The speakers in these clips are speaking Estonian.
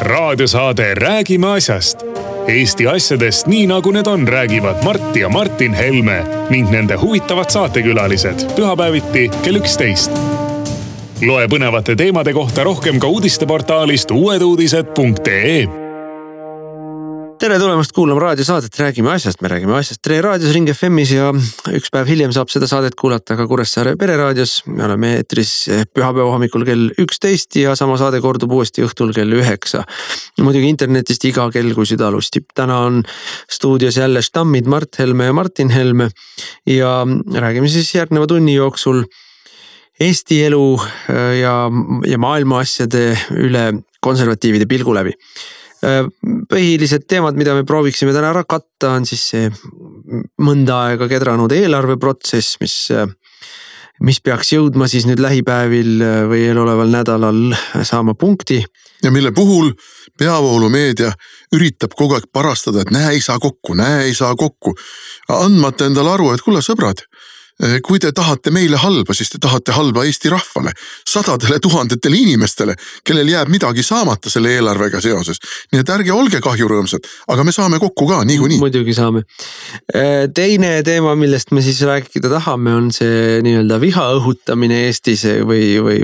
Raadiosaade Räägime asjast. Eesti asjadest nii nagu need on, räägivad Mart ja Martin Helme ning nende huvitavad saatekülalised pühapäeviti kell 11. Loe põnevate teemade kohta rohkem ka uudisteportaalist uueduudised.ee. Tere tulemast kuulama raadiosaadet Räägime asjast. Me räägime asjast Tre raadios Ring FM'is ja üks päev hiljem saab seda saadet kuulata ka Kuressaare pereraadios. Me oleme eetris pühapäeva hommikul kell 11 ja sama saade kordub uuesti õhtul kell 9. Muidugi internetist iga kell, kui süda lustib. Täna on stuudios jälle stammid Mart Helme ja Martin Helme ja räägime siis järgneva tunni jooksul Eesti elu ja maailma asjade üle konservatiivide pilgu läbi. Põhilised teemad, mida me prooviksime täna ära katta, on siis see mõnda aega kedranud eelarveprotsess, mis peaks jõudma siis nüüd lähipäevil või eeloleval nädalal saama punkti. Ja mille puhul peavoolumeedia üritab kogu aeg parastada, et näe ei saa kokku. Andmata endale aru, et kuule sõbrad, kui te tahate meile halba, siis te tahate halba Eesti rahvale, sadadele tuhandetele inimestele, kellel jääb midagi saamata selle eelarvega seoses. Nii et ärge olge kahjurõõmsad, aga me saame kokku ka niikuinii. Muidugi saame. Teine teema, millest me siis rääkida tahame, on see nii-öelda viha õhutamine Eestis või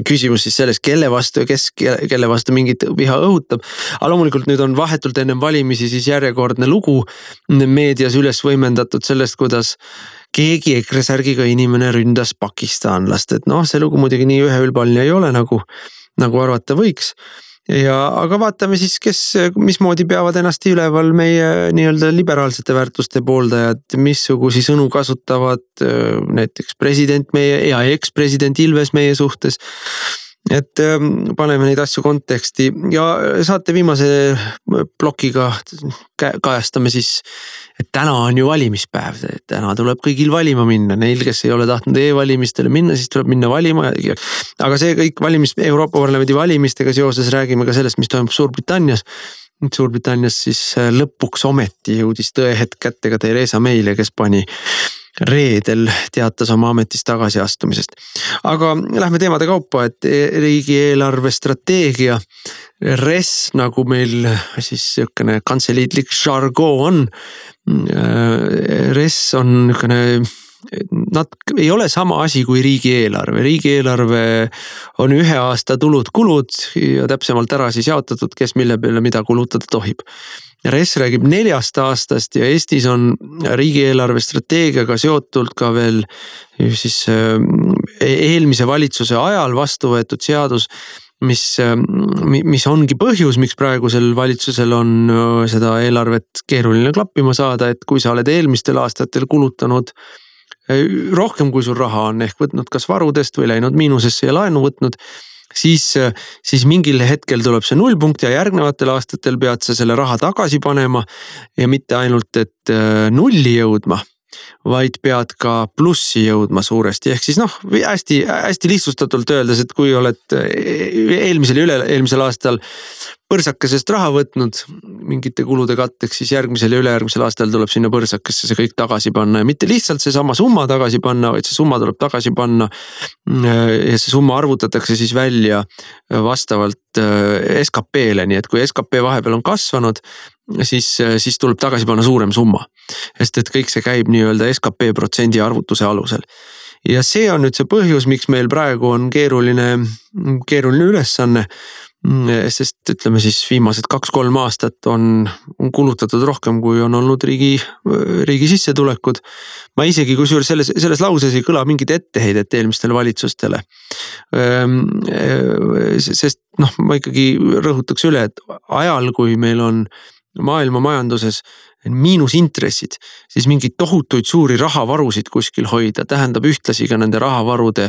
küsimus siis sellest, kelle vastu mingit viha õhutab. Aga loomulikult nüüd on vahetult ennem valimisi siis järjekordne lugu meedias üles võimendatud sellest, kuidas keegi EKRE särgiga inimene ründas pakistanlast, et see lugu muidugi nii üheülbaline ei ole, nagu arvata võiks. Aga vaatame siis, mismoodi peavad ennast üleval meie nii-öelda liberaalsete väärtuste pooldajad, missugusi sõnu kasutavad näiteks president meie ja eks-president Ilves meie suhtes. Et paneme neid asju konteksti ja saate viimase plokiga kajastame siis, et täna on ju valimispäev, täna tuleb kõigil valima minna, neil, kes ei ole tahtnud e-valimistele minna, siis tuleb minna valima. Aga see kõik Euroopa Parlamendi valimistega seoses räägime ka sellest, mis toimub Suurbritannias. Suurbritannias siis lõpuks ometi jõudis tõehetk kätte ka Theresa May'le, kes pani reedel teatas oma ametist tagasiastumisest. Aga lähme teemade kaupa, et riigieelarve strateegia RES, nagu meil siis niisugune kantseliitlik žargon on. RES on niisugune, nad ei ole sama asi kui riigieelarve. Riigieelarve on ühe aasta tulud-kulud ja täpsemalt ära siis jaotatud, kes mille peale mida kulutada tohib. RES räägib 4 aastast ja Eestis on riigieelarve strateegiaga seotult ka veel siis eelmise valitsuse ajal vastu võetud seadus, mis ongi põhjus, miks praegusel valitsusel on seda eelarvet keeruline klappima saada, et kui sa oled eelmistel aastatel kulutanud rohkem kui sul raha on ehk võtnud kas varudest või läinud miinusesse ja laenu võtnud, siis mingil hetkel tuleb see nullpunkt ja järgnevatel aastatel pead sa selle raha tagasi panema ja mitte ainult, et nulli jõudma, vaid pead ka plussi jõudma suuresti. Ehk siis hästi lihtsustatult öeldes, et kui oled eelmisel ja üle-eelmisel aastal põrsakesest raha võtnud mingite kulude katteks, siis järgmisel ja ülejärgmisel aastal tuleb sinna põrsakesse see kõik tagasi panna ja mitte lihtsalt see sama summa tagasi panna, vaid see summa tuleb tagasi panna ja see summa arvutatakse siis välja vastavalt SKP-le, nii et kui SKP vahepeal on kasvanud, siis tuleb tagasi panna suurem summa, sest et kõik see käib nii-öelda SKP protsendi arvutuse alusel. Ja see on nüüd see põhjus, miks meil praegu on keeruline ülesanne, sest ütleme siis viimased 2-3 aastat on kulutatud rohkem, kui on olnud riigi sissetulekud. Ma isegi kusjuures selles lauses ei kõla mingit etteheidet eelmistele valitsustele. Sest ma ikkagi rõhutaks üle, et ajal, kui meil on maailma majanduses miinusintressid, siis mingid tohutuid suuri rahavarusid kuskil hoida tähendab ühtlasi ka nende rahavarude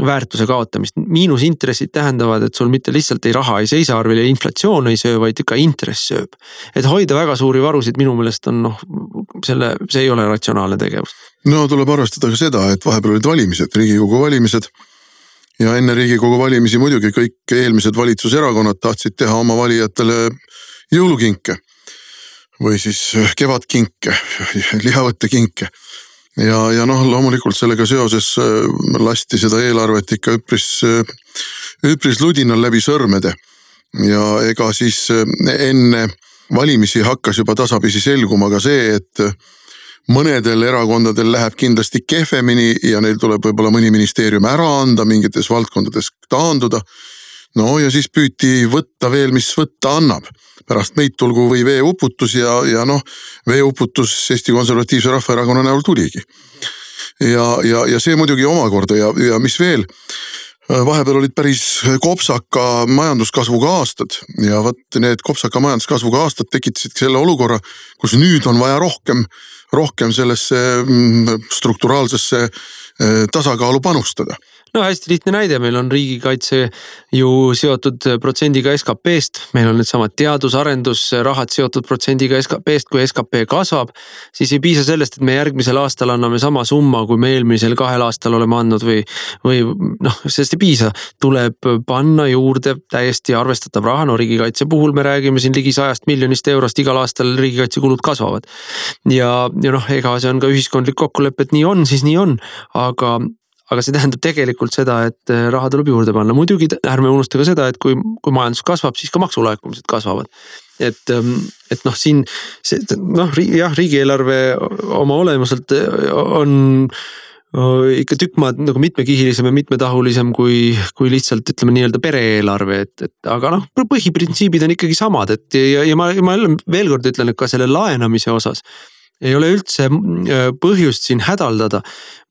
väärtuse kaotamist. Miinusintressid tähendavad, et sul mitte lihtsalt raha ei seisa arvel ja inflatsioon ei söö, vaid ka intress sööb. Et hoida väga suuri varusid minu meelest on see ei ole ratsionaalne tegevus. No tuleb arvestada ka seda, et vahepeal olid valimised, Riigikogu valimised ja enne Riigikogu valimisi muidugi kõik eelmised valitsuserakonnad tahtsid teha oma valijatele jõulukinke või siis kevadkinke, lihavõttekinke. Ja loomulikult sellega seoses lasti seda eelarvet ikka üpris ludinal läbi sõrmede. ja ega siis enne valimisi hakkas juba tasapisi selguma ka see, et mõnedel erakondadel läheb kindlasti kehvemini ja neil tuleb võib-olla mõni ministeerium ära anda, mingites valdkondades taanduda. No ja siis püüti võtta veel, mis võtta annab. Pärast meid tulgu või veeuputus ja noh, veeuputus Eesti Konservatiivse Rahvaerakonna näol tuligi. Ja see muidugi omakorda ja mis veel, vahepeal olid päris kopsaka majanduskasvuga aastad ja võt need kopsaka majanduskasvuga aastad tekitasid selle olukorra, kus nüüd on vaja rohkem sellesse strukturaalsesse tasakaalu panustada. No hästi lihtne näide, meil on riigikaitse ju seotud protsendiga SKP-st, meil on need samad teadusarendusrahad seotud protsendiga SKP-st, kui SKP kasvab, siis ei piisa sellest, et me järgmisel aastal anname sama summa, kui me eelmisel 2 aastal oleme andnud või noh, sellest ei piisa, tuleb panna juurde täiesti arvestatav raha, no riigikaitse puhul me räägime siin ligi 100 miljonist eurost, igal aastal riigikaitsekulud kasvavad. Ja noh, ega see on ka ühiskondlik kokkulepe, et nii on, siis nii on, aga see tähendab tegelikult seda, et raha tuleb juurde panna. Muidugi ärme unusta ka seda, et kui majandus kasvab, siis ka maksulaekumised kasvavad. Et noh, siin jah, riigieelarve oma olemuselt on ikka tükk maad nagu mitmekihilisem ja mitmetahulisem kui lihtsalt ütleme nii-öelda pereeelarve, aga noh, põhiprintsiibid on ikkagi samad, ja ma veel kord ütlen, et ka selle laenamise osas ei ole üldse põhjust siin hädaldada.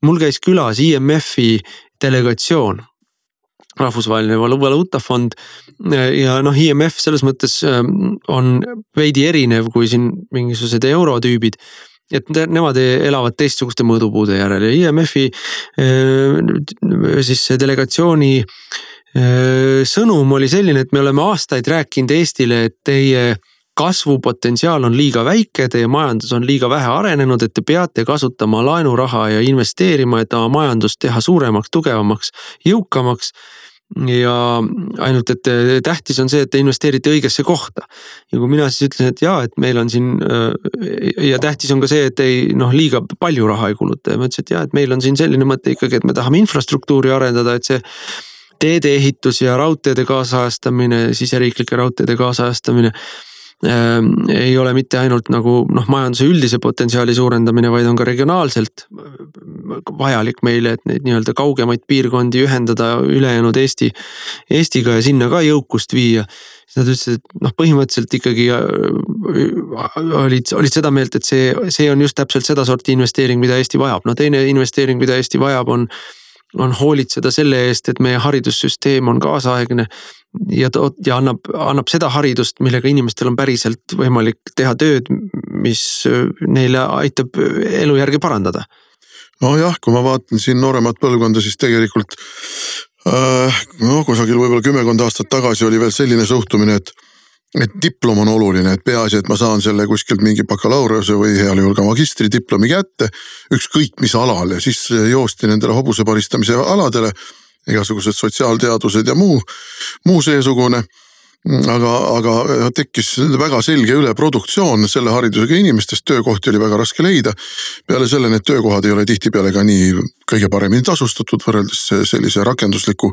Mul käis külas IMF-i delegatsioon, Rahvusvaheline Valuutafond, ja noh, IMF selles mõttes on veidi erinev kui siin mingisugused eurotüübid, et nemad elavad teistsuguste mõõdupuude järel ja IMF-i siis delegatsiooni sõnum oli selline, et me oleme aastaid rääkinud Eestile, et teie kasvupotentsiaal on liiga väike, teie majandus on liiga vähe arenenud, et te peate kasutama laenuraha ja investeerima, et oma majandust teha suuremaks, tugevamaks, jõukamaks. Ja ainult, et tähtis on see, et te investeerite õigesse kohta. Ja kui mina siis ütlen, et jaa, et meil on siin ja tähtis on ka see, et ei liiga palju raha ei kuluta. Ja ma ütlesin, et jaa, et meil on siin selline mõte ikkagi, et me tahame infrastruktuuri arendada, et see teede ehitus ja raudteede kaasajastamine, siseriiklike raudteede kaasajastamine ei ole mitte ainult nagu majanduse üldise potentsiaali suurendamine, vaid on ka regionaalselt vajalik meile, et neid nii-öelda kaugemaid piirkondi ühendada ülejäänud Eestiga ja sinna ka jõukust viia. Nad ütlesid, et põhimõtteliselt ikkagi olid seda meelt, et see on just täpselt seda sorti investeering, mida Eesti vajab. No teine investeering, mida Eesti vajab, on hoolitseda selle eest, et meie haridussüsteem on kaasaegne ja annab seda haridust, millega inimestel on päriselt võimalik teha tööd, mis neile aitab elujärge parandada. No jah, kui ma vaatan siin nooremat põlvkonda, siis tegelikult kusagil võib-olla 10 aastat tagasi oli veel selline suhtumine, et diplom on oluline, et peaasi, et ma saan selle kuskilt mingi bakalaureuse või heal juhul ka magistridiplomi kätte, ükskõik mis alal ja siis joosti nendele hobuse paristamise aladele, igasugused sotsiaalteadused ja muu seesugune. Aga tekkis väga selge üleproduktsioon selle haridusega inimestest, töökohti oli väga raske leida. Peale selle need töökohad ei ole tihtipeale ka nii kõige paremini tasustatud võrreldes sellise rakendusliku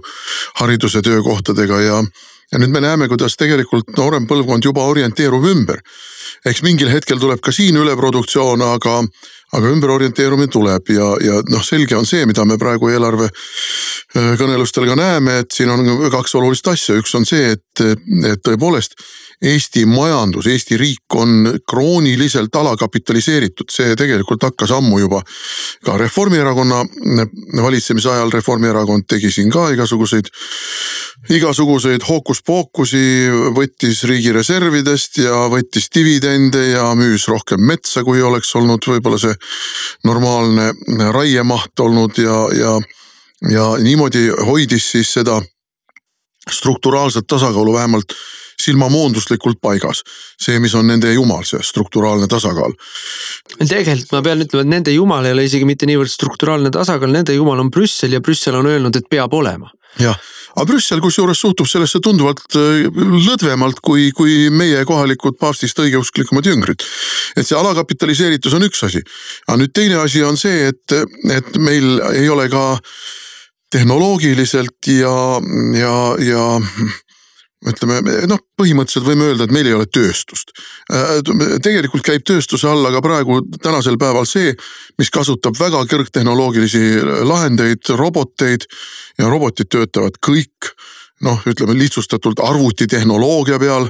hariduse töökohtadega ja nüüd me näeme, kuidas tegelikult noorem põlvkond juba orienteerub ümber. Eks mingil hetkel tuleb ka siin üleproduktsioon, aga ümberorienteerumine tuleb ja selge on see, mida me praegu eelarve kõnelustel ka näeme, et siin on 2 olulist asja. Üks on see, et tõepoolest Eesti majandus, Eesti riik on krooniliselt alakapitaliseeritud. See tegelikult hakkas ammu juba ka Reformierakonna valitsemise ajal. Reformierakond tegi siin ka igasuguseid hookuspookusi, võttis riigi reservidest ja võttis dividende ja müüs rohkem metsa, kui oleks olnud võib-olla see normaalne raiemaht olnud ja niimoodi hoidis siis seda strukturaalset tasakaalu vähemalt silmamoonduslikult paigas. See, mis on nende jumal, see strukturaalne tasakaal. Tegelikult ma pean ütlema, et nende jumal ei ole isegi mitte niivõrd strukturaalne tasakaal, nende jumal on Brüssel ja Brüssel on öelnud, et peab olema. Jah, aga Brüssel kusjuures suhtub sellesse tunduvalt lõdvemalt kui meie kohalikud paavstist õigeusklikumad jüngrid. Et see alakapitaliseeritus on üks asi. Aga nüüd teine asi on see, et meil ei ole ka tehnoloogiliselt ja ütleme, põhimõtteliselt võime öelda, et meil ei ole tööstust. Tegelikult käib tööstuse alla ka praegu tänasel päeval see, mis kasutab väga kõrgtehnoloogilisi lahendeid, roboteid ja robotid töötavad kõik, ütleme lihtsustatult arvutitehnoloogia peal.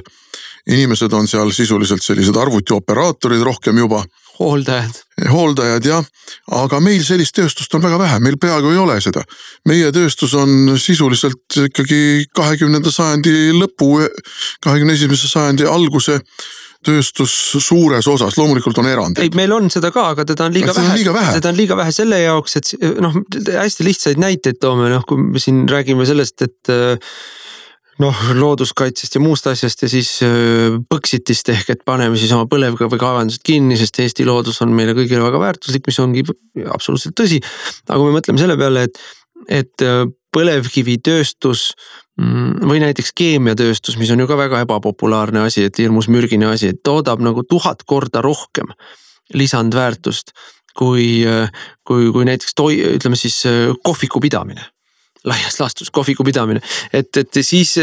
Inimesed on seal sisuliselt sellised arvutioperaatorid rohkem juba. Hooldajad, jah. Aga meil sellist tööstust on väga vähe, meil peaaegu ei ole seda. Meie tööstus on sisuliselt ikkagi 20. sajandi lõpu, 21. sajandi alguse tööstus suures osas, loomulikult on erand. Ei, meil on seda ka, aga teda on liiga vähe. Seda on liiga vähe selle jaoks, et hästi lihtsaid näiteid toome, kui me siin räägime sellest, et looduskaitsest ja muust asjast ja siis põksitist ehk, et paneme siis oma põlevkivi kaevandused kinni, sest Eesti loodus on meile kõigile väga väärtuslik, mis ongi absoluutselt tõsi. Aga me mõtleme selle peale, et põlevkivitööstus või näiteks keemiatööstus, mis on ju ka väga ebapopulaarne asi, et hirmus mürgine asi, et toodab nagu 1000 korda rohkem lisandväärtust kui näiteks ütleme siis kohviku pidamine. Laias laastus kohviku pidamine, et siis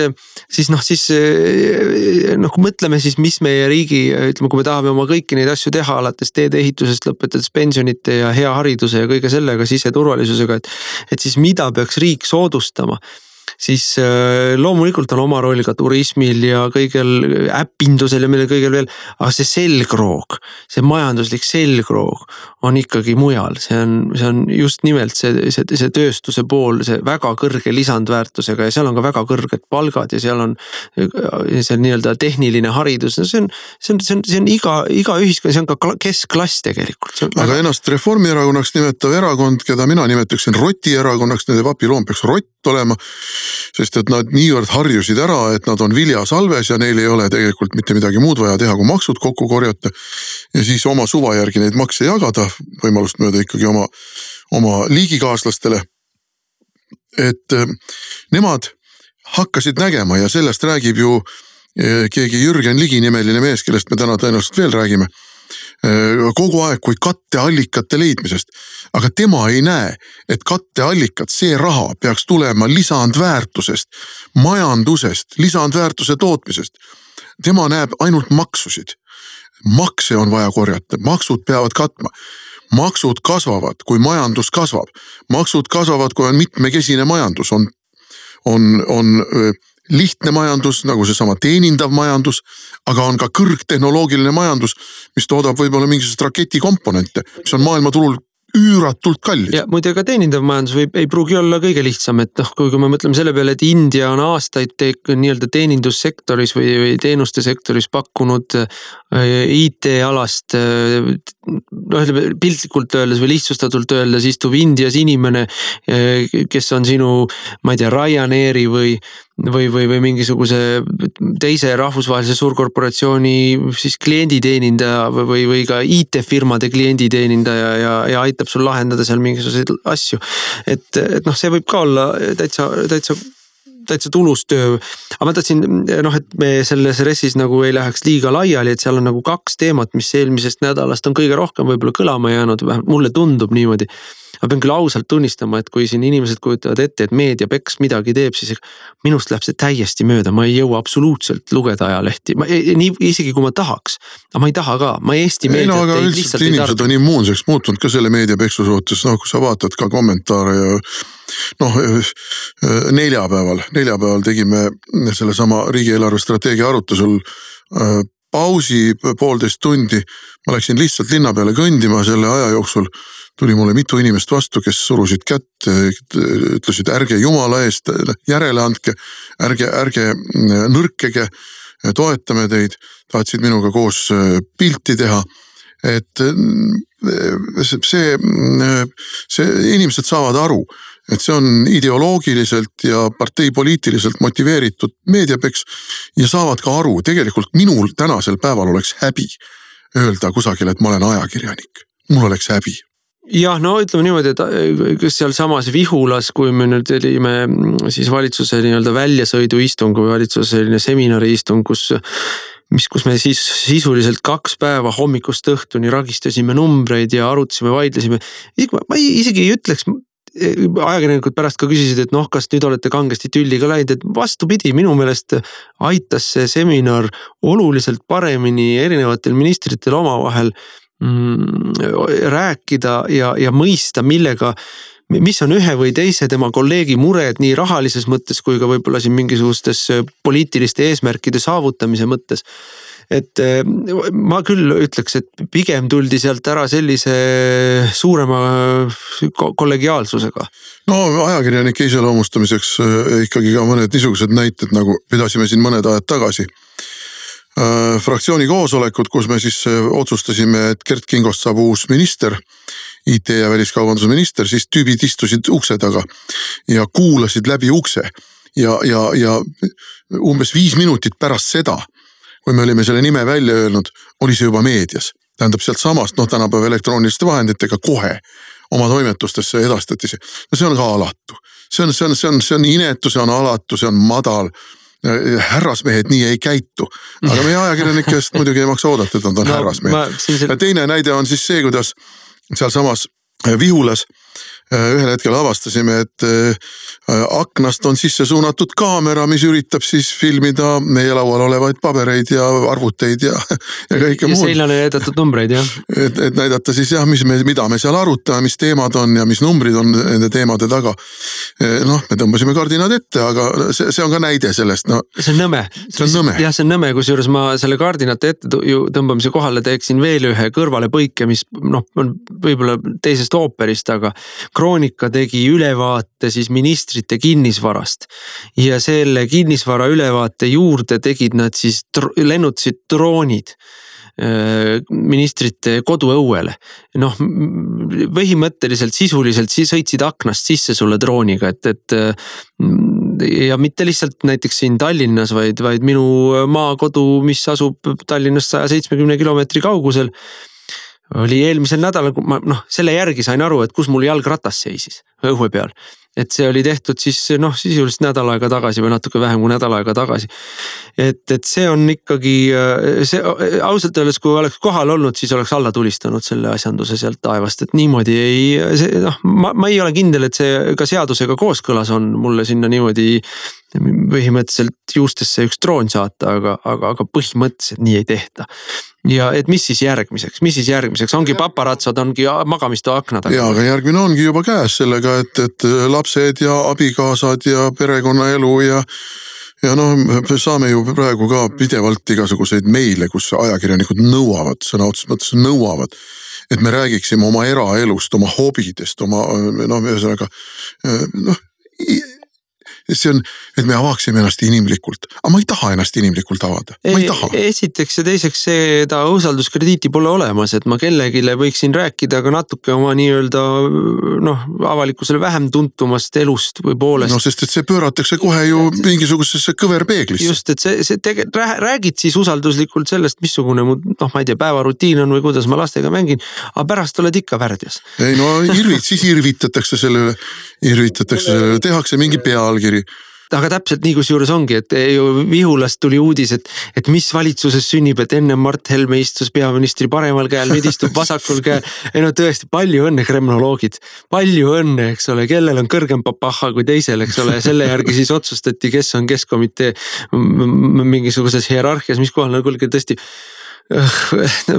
kui mõtleme siis, mis meie riigi, ütleme, kui me tahame oma kõiki neid asju teha, alates teede ehitusest lõpetades pensionite ja hea hariduse ja kõige sellega siseturvalisusega, et siis mida peaks riik soodustama, siis loomulikult on oma roll ka turismil ja kõigel äppindusel ja millel kõigel veel, aga see selgroog, see majanduslik selgroog on ikkagi mujal, see on just nimelt see tööstuse pool, see väga kõrge lisandväärtusega ja seal on ka väga kõrged palgad ja seal on see nii-öelda tehniline haridus, see on iga ühiskond, see on ka keskklass tegelikult. Aga ennast Reformierakonnaks nimetav erakond, keda mina nimetaksin rotierakonnaks, nende vapiloom peaks rott olema, sest et nad niivõrd harjusid ära, et nad on viljasalves ja neil ei ole tegelikult mitte midagi muud vaja teha, kui maksud kokku korjata ja siis oma suva järgi neid makse jagada, võimalust mööda ikkagi oma liigikaaslastele. Et nemad hakkasid nägema ja sellest räägib ju keegi Jürgen Ligi nimeline mees, kellest me täna tõenäoliselt veel räägime, kogu aeg kui katteallikate leidmisest. Aga tema ei näe, et katteallikat, see raha peaks tulema lisandväärtusest, majandusest, lisandväärtuse tootmisest. Tema näeb ainult maksusid. Makse on vaja korjata, maksud peavad katma. Maksud kasvavad, kui majandus kasvab. Maksud kasvavad, kui on mitmekesine majandus, on lihtne majandus, nagu seesama teenindav majandus, aga on ka kõrgtehnoloogiline majandus, mis toodab võib-olla mingisugust raketikomponente, mis on maailmaturul üüratult kallid. Ja muide ka teenindav majandus ei pruugi olla kõige lihtsam, et kui me mõtleme selle peale, et India on aastaid nii-öelda teenindussektoris või teenuste sektoris pakkunud IT-alast, piltlikult öeldes või lihtsustatult öeldes istub Indias inimene, kes on sinu, ma ei tea, Ryanairi või mingisuguse teise rahvusvahelise suurkorporatsiooni siis klienditeenindaja või ka IT-firmade klienditeenindaja ja aitab sul lahendada seal mingisuguseid asju. Et see võib ka olla täitsa tulus töö. Aga ma tahtsin, et me selles ressis nagu ei läheks liiga laiali, et seal on nagu 2 teemat, mis eelmisest nädalast on kõige rohkem võib-olla kõlama jäänud, vähemalt mulle tundub niimoodi. Ma pean küll ausalt tunnistama, et kui siin inimesed kujutavad ette, et meediapeks midagi teeb, siis minust läheb see täiesti mööda. Ma ei jõua absoluutselt lugeda ajalehti. Isegi kui ma tahaks, aga ma ei taha ka. Ma Eesti meediat aga lihtsalt inimesed on immuunseks muutunud ka selle meediapeksu suhtes. Kui sa vaatad ka kommentaare ja neljapäeval tegime selle sama riigieelarve strateegia arutusel pausi 1,5 tundi. Ma läksin lihtsalt linna peale kõndima selle aja jooksul. Tuli mulle mitu inimest vastu, kes surusid kätt, ütlesid ärge jumala eest, järele andke, ärge nõrkege, toetame teid, tahtsid minuga koos pilti teha. Et see inimesed saavad aru, et see on ideoloogiliselt ja parteipoliitiliselt motiveeritud meediapeks ja saavad ka aru, tegelikult minul tänasel päeval oleks häbi öelda kusagil, et ma olen ajakirjanik. Mul oleks häbi. Jah, ütleme niimoodi, et seal samas Vihulas, kui me nüüd olime siis valitsuse nii-öelda väljasõiduistung või valitsuse selline seminariistung, kus me siis sisuliselt 2 päeva hommikust õhtuni ragistasime numbreid ja arutasime, vaidlesime. Ma isegi ei ütleks, ajakirjanikud pärast ka küsisid, et noh, kas nüüd olete kangesti tülliga läinud, et vastupidi, minu meelest aitas see seminar oluliselt paremini erinevatel ministritel omavahel rääkida ja mõista, mis on ühe või teise tema kolleegi mured nii rahalises mõttes kui ka võib-olla siin mingisugustes poliitiliste eesmärkide saavutamise mõttes. Et ma küll ütleks, et pigem tuldi sealt ära sellise suurema kollegiaalsusega. No ajakirjanike iseloomustamiseks ikkagi ka mõned niisugused näited, nagu pidasime siin mõned ajad tagasi. Fraktsiooni koosolekud, kus me siis otsustasime, et Kert Kingost saab uus minister, IT- ja väliskaubanduse minister, siis tüübid istusid ukse taga ja kuulasid läbi ukse ja umbes 5 minutit pärast seda, kui me olime selle nime välja öelnud, oli see juba meedias. Tähendab sealt samast, tänapäeva elektrooniliste vahenditega kohe oma toimetustesse edastati see. No see on ka alatu. See on inetu, see on alatu, see on madal. Härrasmehed nii ei käitu. Aga meie ajakirjanikest muidugi ei maksa oodata, et nad on härrasmehed. Ja teine näide on siis see, kuidas seal samas Vihulas ühel hetkel avastasime, et aknast on sisse suunatud kaamera, mis üritab siis filmida meie laual olevaid pabereid ja arvuteid ja kõike muud. Ja seilane näidatud numbreid, jah. Et näidata siis jah, mida me seal arutame, mis teemad on ja mis numbrid on nende teemade taga. Me tõmbasime kardinad ette, aga see on ka näide sellest. See on nõme. Jah, see on nõme, kusjuures ma selle kardinate ette tõmbamise kohale teeksin veel ühe kõrvale põike, mis on võib-olla teisest ooperist, aga Kroonika tegi ülevaate siis ministrite kinnisvarast ja selle kinnisvara ülevaate juurde tegid nad siis lennutasid droonid ministrite koduõuele. Põhimõtteliselt sisuliselt sõitsid aknast sisse sulle drooniga, et ja mitte lihtsalt näiteks siin Tallinnas, vaid minu maakodu, mis asub Tallinnast 170 kilomeetri kaugusel, oli eelmisel nädalal, selle järgi sain aru, et kus mul jalgratas seisis õue peal. Et see oli tehtud siis sisuliselt nädal aega tagasi või natuke vähem kui nädal aega tagasi. Et see on ikkagi, ausalt öeldes, kui oleks kohal olnud, siis oleks alla tulistanud selle asjanduse sealt taevast, et niimoodi ma ei ole kindel, et see ka seadusega kooskõlas on mulle sinna niimoodi põhimõtteliselt juustesse üks droon saata, aga põhimõtteliselt nii ei tehta. Ja et mis siis järgmiseks? Ongi paparatsod, ongi magamistoa aknad. Ja, aga järgmine ongi juba käes sellega, et lapsed ja abikaasad ja perekonnaelu ja saame ju praegu ka pidevalt igasuguseid meile, kus ajakirjanikud sõna otseses mõttes nõuavad, et me räägiksime oma eraelust, oma hobidest, ühesõnaga, see on, et me avaaksime ennast inimlikult. Aga ma ei taha ennast inimlikult avada. Ma ei taha. Esiteks ja teiseks seda usalduskrediiti pole olemas, et ma kellegile võiksin rääkida aga natuke oma nii-öelda avalikkusele vähem tuntumast elust või poolest. Sest et see pööratakse kohe ju mingisugusesse kõverpeeglisse. Just, et räägid siis usalduslikult sellest, missugune mu, ma ei tea, päevarutiin on või kuidas ma lastega mängin, aga pärast oled ikka värdjas. Ei siis irvitatakse selle, tehakse mingi pealkiri. Aga täpselt nii, kus juures ongi, et Vihulast tuli uudis, et mis valitsuses sünnib, et enne Mart Helme istus peaministri paremal käel, nüüd istub vasakul käel. Tõesti, palju õnne kremnoloogid, palju õnne, eks ole, kellel on kõrgem papaha kui teisel, eks ole, selle järgi siis otsustati, kes on keskomitee mingisuguses hierarhias, mis kohal kuulge tõesti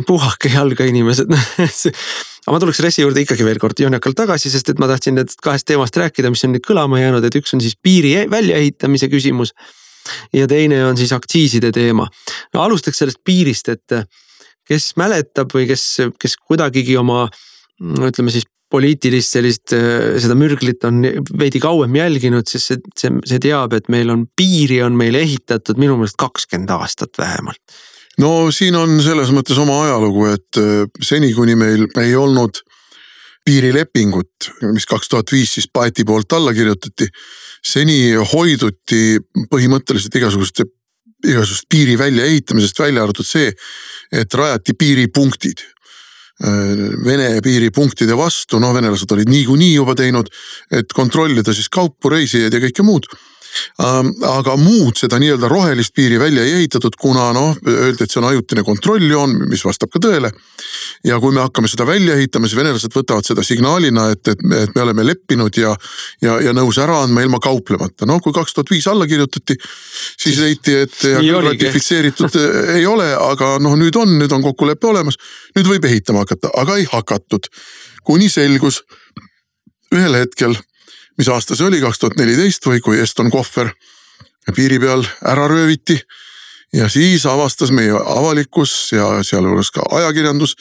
puhake jalga inimesed. Aga ma tuleks Ressi juurde ikkagi veel kord joonikalt tagasi, sest et ma tahtsin need 2 teemast rääkida, mis on nüüd kõlama jäänud, et üks on siis piiri väljaehitamise küsimus ja teine on siis aktsiiside teema. Alustaks sellest piirist, et kes mäletab või kes kuidagigi oma, ütleme siis poliitilist sellist, seda mürglit on veidi kauem jälginud, siis see teab, et piiri on meil ehitatud minu meelest 20 aastat vähemalt. Siin on selles mõttes oma ajalugu, et seni kuni meil ei olnud piirilepingut, mis 2005 siis Paeti poolt alla kirjutati, seni hoiduti põhimõtteliselt igasugust piiri välja ehitamisest, välja arvatud see, et rajati piiripunktid. Vene piiripunktide vastu, venelased olid niikuinii juba teinud, et kontrollida siis kaupu, reisijaid ja kõike muud. Aga muud seda nii-öelda rohelist piiri välja ei ehitatud, kuna öeldi, et see on ajutine kontrolljoon, mis vastab ka tõele. Ja kui me hakkame seda välja ehitama, siis venelased võtavad seda signaalina, et me oleme leppinud ja nõus ära andma ilma kauplemata. Kui 2005 alla kirjutati, siis leiti, et ratifitseeritud ei ole, aga nüüd on kokkulepe olemas. Nüüd võib ehitama hakata, aga ei hakatud. Kuni selgus ühel hetkel, mis aasta see oli, 2014 või kui Eston Kohver piiri peal ära rööviti ja siis avastas meie avalikkus ja sealjuures ka ajakirjandus,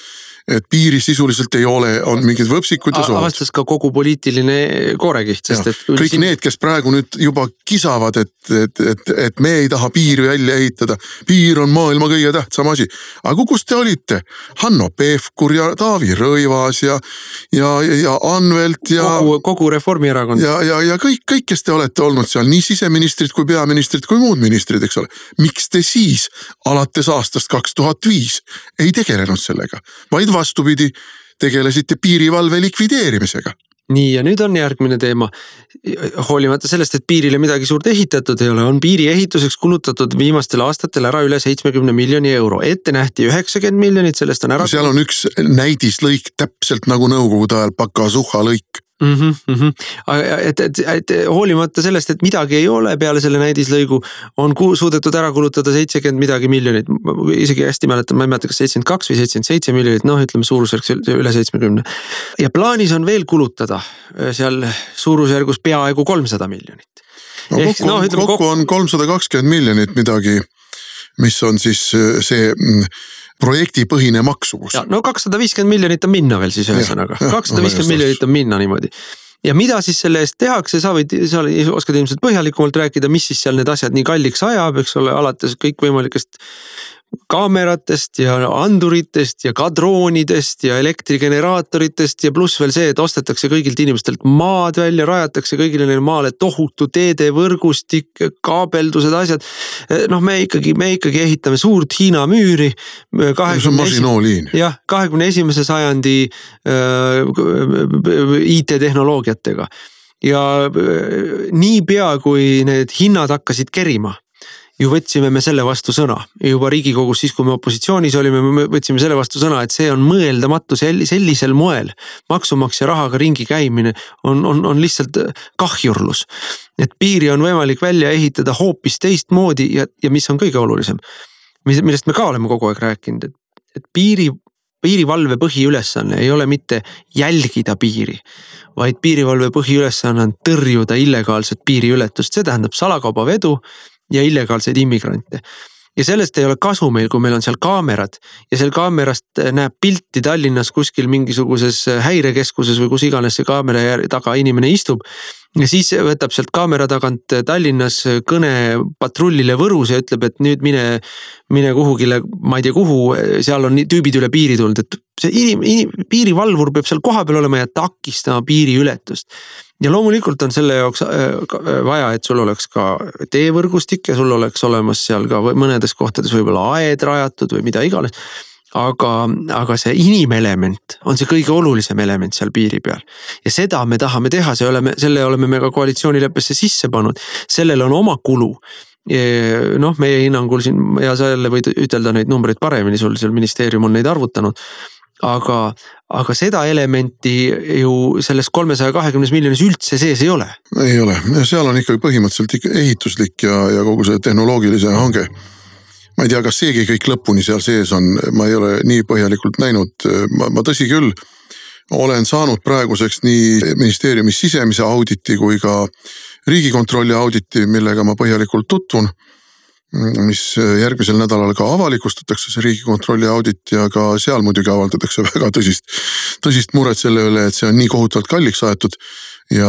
et piiri sisuliselt ei ole, on mingid võpsikud ja sood. Avastas ka kogu poliitiline koorekiht, sest et kõik need, kes praegu nüüd juba kisavad, et me ei taha piiri välja ehitada. Piir on maailma kõige tähtsam asi. Aga kus te olite? Hanno Pevkur ja Taavi Rõivas ja Anvelt ja kogu Reformierakond. Ja kõik, kes te olete olnud seal, nii siseministrid kui peaministrid kui muud ministrid, eks ole. Miks te siis alates aastast 2005 ei tegelenud sellega? Vaid vastupidi, tegelesite piirivalve likvideerimisega. Nii, ja nüüd on järgmine teema. Hoolimata sellest, et piirile midagi suurt ehitatud ei ole, on piiri ehituseks kulutatud viimastel aastatel ära üle 70 miljoni euro. Ette nähti 90 miljonit, sellest on ära... Seal on üks näidislõik täpselt nagu nõukogude ajal Pakasuha lõik. Et hoolimata sellest, et midagi ei ole peale selle näidislõigu, on suudetud ära kulutada 70 midagi miljonit, isegi hästi mäletan, ma ei mäleta, kas 72 või 77 miljonit, ütleme suurusjärgus üle 70. Ja plaanis on veel kulutada seal suurusjärgus peaaegu 300 miljonit. Kokku on 320 miljonit midagi, mis on siis see projektipõhine maksumus. 250 miljonit on minna veel siis ühesõnaga. 250 miljonit on minna niimoodi. Ja mida siis selle eest tehakse, sa oskad ilmselt põhjalikumalt rääkida, mis siis seal need asjad nii kalliks ajab, eks ole, alates kõik võimalikest kaameratest ja anduritest ja ka droonidest ja elektrigeneraatoritest ja pluss veel see, et ostetakse kõigilt inimestelt maad välja, rajatakse kõigile neile maale tohutu teedevõrgustik, kaabeldused, asjad. Me ikkagi ehitame suurt Hiina müüri. See on masinooliin. Jah, 21. sajandi IT-tehnoloogiatega. Ja niipea, kui need hinnad hakkasid kerima, ju võtsime me selle vastu sõna. Juba Riigikogus siis, kui me opositsioonis olime, me võtsime selle vastu sõna, et see on mõeldamatu sellisel moel. Maksumaksja rahaga ringi käimine on lihtsalt kahjurlus. Et piiri on võimalik välja ehitada hoopis teistmoodi ja mis on kõige olulisem, millest me ka oleme kogu aeg rääkinud, et piirivalve põhiülesanne ei ole mitte jälgida piiri, vaid piirivalve põhiülesanne on tõrjuda illegaalset piiriületust. See tähendab salakaubavedu ja illegaalseid immigrante. Ja sellest ei ole kasu meil, kui meil on seal kaamerad ja seal kaamerast näeb pilti Tallinnas kuskil mingisuguses häirekeskuses või kus iganes see kaamera taga inimene istub. Ja siis võtab sealt kaamera tagant Tallinnas kõne patrullile Võrus ja ütleb, et nüüd mine kuhugile, ma ei tea kuhu, seal on tüübid üle piiri tulnud, et see piirivalvur peab seal kohapeal olema ja takistama piiriületust. Ja loomulikult on selle jaoks vaja, et sul oleks ka teevõrgustik ja sul oleks olemas seal ka mõnedes kohtades võib-olla aed rajatud või mida iganes. Aga see inimelement on see kõige olulisem element seal piiri peal. Ja seda me tahame teha, selle oleme me ka koalitsioonileppesse sisse pannud. Sellel on oma kulu. Meie hinnangul siin, ja sa jälle võid ütelda neid numbreid paremini, sul ministeerium on neid arvutanud. Aga seda elementi ju selles 320 miljonis üldse sees ei ole. Ei ole, seal on ikkagi põhimõtteliselt ehituslik ja kogu see tehnoloogilise hange. Ma ei tea, kas seegi kõik lõpuni seal sees on, ma ei ole nii põhjalikult näinud, ma tõsi küll olen saanud praeguseks nii ministeeriumis sisemise auditi kui ka Riigikontrolli auditi, millega ma põhjalikult tutvun, mis järgmisel nädalal ka avalikustatakse see Riigikontrolli audit ja ka seal muidugi avaldatakse väga tõsist muret selle üle, et see on nii kohutavalt kalliks aetud ja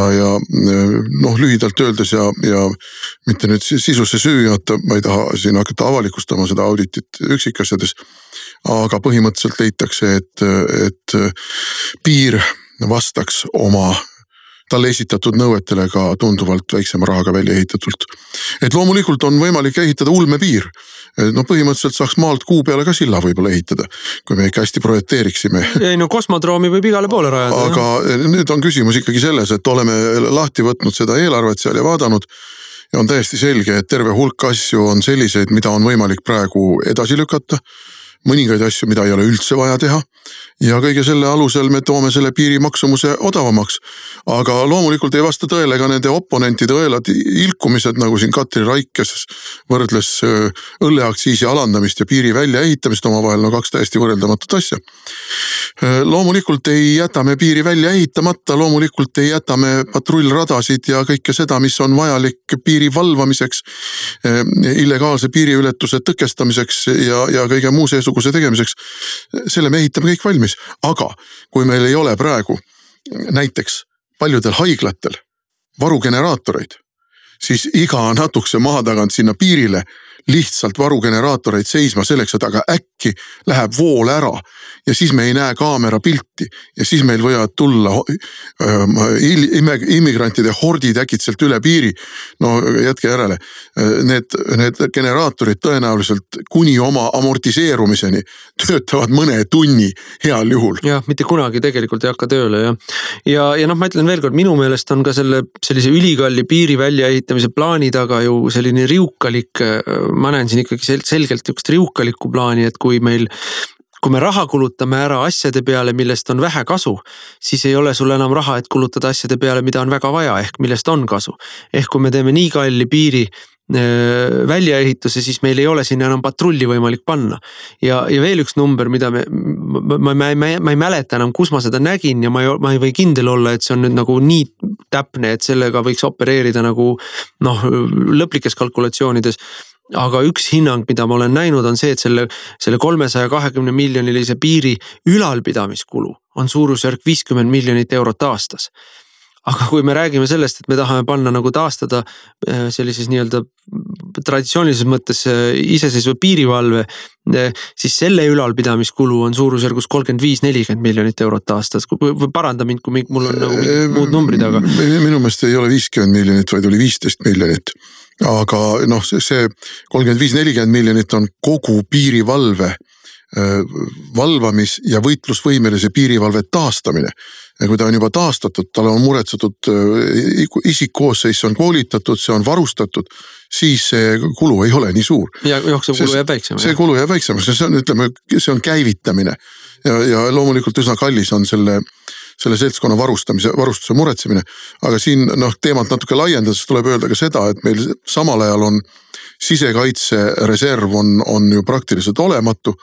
lühidalt öeldes ja mitte nüüd sisusse süüjata, ma ei taha siin hakata avalikustama seda auditit üksikasjades, aga põhimõtteliselt leitakse, et piir vastaks talle esitatud nõuetele ka tunduvalt väiksema rahaga välja ehitatult. Et loomulikult on võimalik ehitada ulmepiir. Põhimõtteliselt saaks maalt kuu peale ka silla võib-olla ehitada, kui me ikka hästi projekteeriksime. Kosmodroomi võib igale poole rajada. Aga nüüd on küsimus ikkagi selles, et oleme lahti võtnud seda eelarvet seal ja vaadanud ja on täiesti selge, et terve hulk asju on selliseid, mida on võimalik praegu edasi lükata, mõningaid asju, mida ei ole üldse vaja teha ja kõige selle alusel me toome selle piiri maksumuse odavamaks. Aga loomulikult ei vasta tõele ka nende oponentide õelad ilkumised, nagu siin Katri Raik, kes võrdles õlleaktsiisi alandamist ja piiri väljaehitamist omavahel, no kaks täiesti võrreldamatut asja. Loomulikult ei jäta me piiri välja ehitamata, loomulikult ei jäta me patrullradasid ja kõike seda, mis on vajalik piiri valvamiseks, illegaalse piiriületuse tõkestamiseks ja kõige muu seesuguse tegemiseks. Selle me ehitame kõik valmis, aga kui meil ei ole praegu näiteks paljudel haiglatel varugeneraatoreid, siis iga natukese maa tagant sinna piirile lihtsalt varugeneraatoreid seisma selleks, et aga äkki läheb vool ära ja siis me ei näe kaamera pilti ja siis meil võivad tulla immigrantide hordid äkitselt üle piiri. No jätke järele, need generaatorid tõenäoliselt kuni oma amortiseerumiseni töötavad mõne tunni heal juhul. Jah, mitte kunagi tegelikult ei hakka tööle ja noh, ma ütlen veel kord, minu meelest on ka sellise ülikalli piiri väljaehitamise plaani taga ju selline riukalik, ma näen siin ikkagi selgelt üks riukalikku plaani, et kui me raha kulutame ära asjade peale, millest on vähe kasu, siis ei ole sul enam raha, et kulutada asjade peale, mida on väga vaja, ehk millest on kasu. Ehk kui me teeme nii kalli piiri väljaehituse, siis meil ei ole sinna enam patrulli võimalik panna. Ja veel üks number, mida ma ei mäleta enam, kus ma seda nägin ja ma ei või kindel olla, et see on nüüd nagu nii täpne, et sellega võiks opereerida nagu lõplikes kalkulatsioonides. Aga üks hinnang, mida ma olen näinud, on see, et selle 320 miljonilise piiri ülalpidamiskulu on suurusjärk 50 miljonit eurot aastas. Aga kui me räägime sellest, et me tahame panna nagu taastada sellises nii-öelda traditsioonilises mõttes iseseisva piirivalve, siis selle ülalpidamiskulu on suurusjärgus 35-40 miljonit eurot aastas. Paranda mind, kui mul on nagu muud numbrid, aga... Minu meelest ei ole 50 miljonit, vaid oli 15 miljonit. Aga noh, see 35-40 miljonit on kogu piirivalve valvamis- ja võitlusvõimelise piirivalve taastamine. Ja kui ta on juba taastatud, tal on muretsetud isikkoosseis, see on koolitatud, see on varustatud, siis see kulu ei ole nii suur. Ja jooksev kulu jääb väiksem. See kulu jääb väiksemaks, see on, ütleme, see on käivitamine ja loomulikult üsna kallis on selle seltskonna varustuse muretsemine. Aga siin teemat natuke laiendades tuleb öelda ka seda, et meil samal ajal on sisekaitse reserv on ju praktiliselt olematu.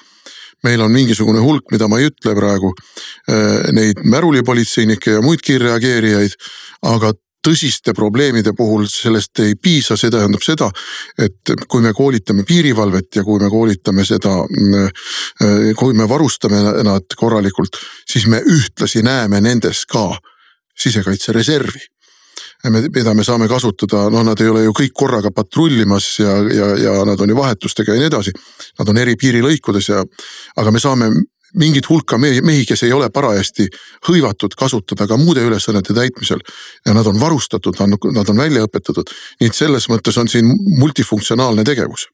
Meil on mingisugune hulk, mida ma ei ütle praegu, neid märulipolitseinikke ja muid kiirreageerijaid, aga tõsiste probleemide puhul sellest ei piisa, see tähendab seda, et kui me koolitame piirivalvet ja kui me koolitame seda, kui me varustame nad korralikult, siis me ühtlasi näeme nendes ka sisekaitsereservi. Mida me saame kasutada, nad ei ole ju kõik korraga patrullimas ja nad on ju vahetustega ja nii edasi. Nad on eri piirilõikudes aga me saame mingid hulka mehi, kes ei ole parajasti hõivatud kasutada ka muude ülesannete täitmisel ja nad on varustatud, nad on välja õpetatud. Nii et selles mõttes on siin multifunktsionaalne tegevus.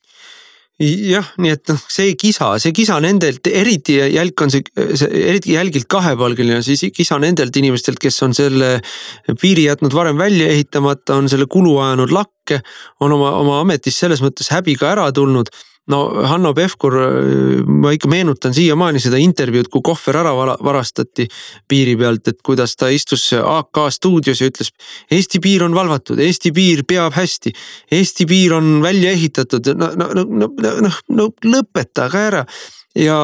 Jah, nii et see kisa nendelt, eriti jälgilt kahepalgeline, siis kisa nendelt inimestelt, kes on selle piiri jätnud varem välja ehitamata, on selle kulu ajanud lakke, on oma ametis selles mõttes häbiga ära tulnud. No Hanno Pevkur, ma ikka meenutan siiamaani seda intervjuud, kui kohver ära varastati piiri pealt, et kuidas ta istus AK stuudios ja ütles, Eesti piir on valvatud, Eesti piir peab hästi, Eesti piir on välja ehitatud, no lõpetage ära. Ja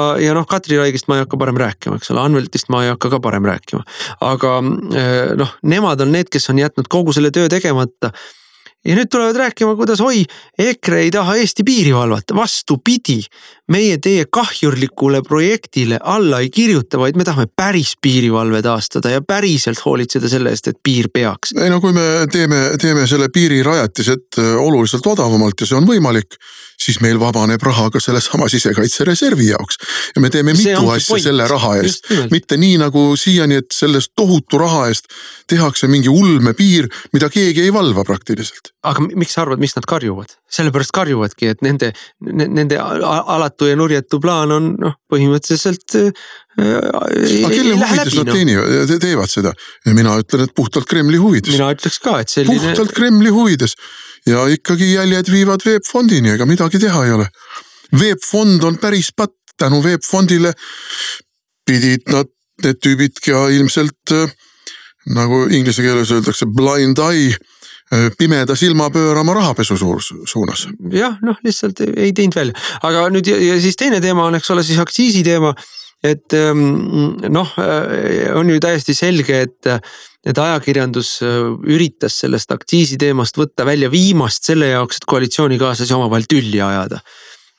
Katri Raigist ma ei hakka parem rääkima, eks ole, Anveltist ma ei hakka ka parem rääkima. Aga nemad on need, kes on jätnud kogu selle töö tegemata. Ja nüüd tulevad rääkima, kuidas EKRE ei taha Eesti piiri valvata. Vastupidi, meie teie kahjurlikule projektile alla ei kirjuta, vaid me tahame päris piirivalve taastada ja päriselt hoolitseda selle eest, et piir peaks. Ei kui me teeme selle piirirajatised oluliselt odavamalt ja see on võimalik, siis meil vabaneb raha ka selle sama sisekaitsereservi jaoks. Ja me teeme mitu asja selle raha eest. Mitte nii nagu siiani, et sellest tohutu raha eest tehakse mingi ulme piir, mida keegi ei valva praktiliselt. Aga miks sa arvad, mis nad karjuvad? sellepärast karjuvadki, et nende alatu ja nurjetu plaan on põhimõtteliselt aga kelle huvides nad teevad seda? Ja mina ütlen, et puhtalt Kremli huvides. Mina ütleks ka, et selline... Puhtalt Kremli huvides. Ja ikkagi jäljed viivad Veebfondini, ega midagi teha ei ole. Veebfond on päris patt. Tänu Veebfondile pidid need tüübid ja ilmselt nagu inglise keeles öeldakse blind eye, pimeda silma pöörama rahapesu suunas. Jah, lihtsalt ei teinud välja. Aga nüüd ja siis teine teema on, eks ole, siis aktsiisi teema, et on ju täiesti selge, et ajakirjandus üritas sellest aktsiisi teemast võtta välja viimast selle jaoks, et koalitsioonikaaslasi omavahel tülli ajada.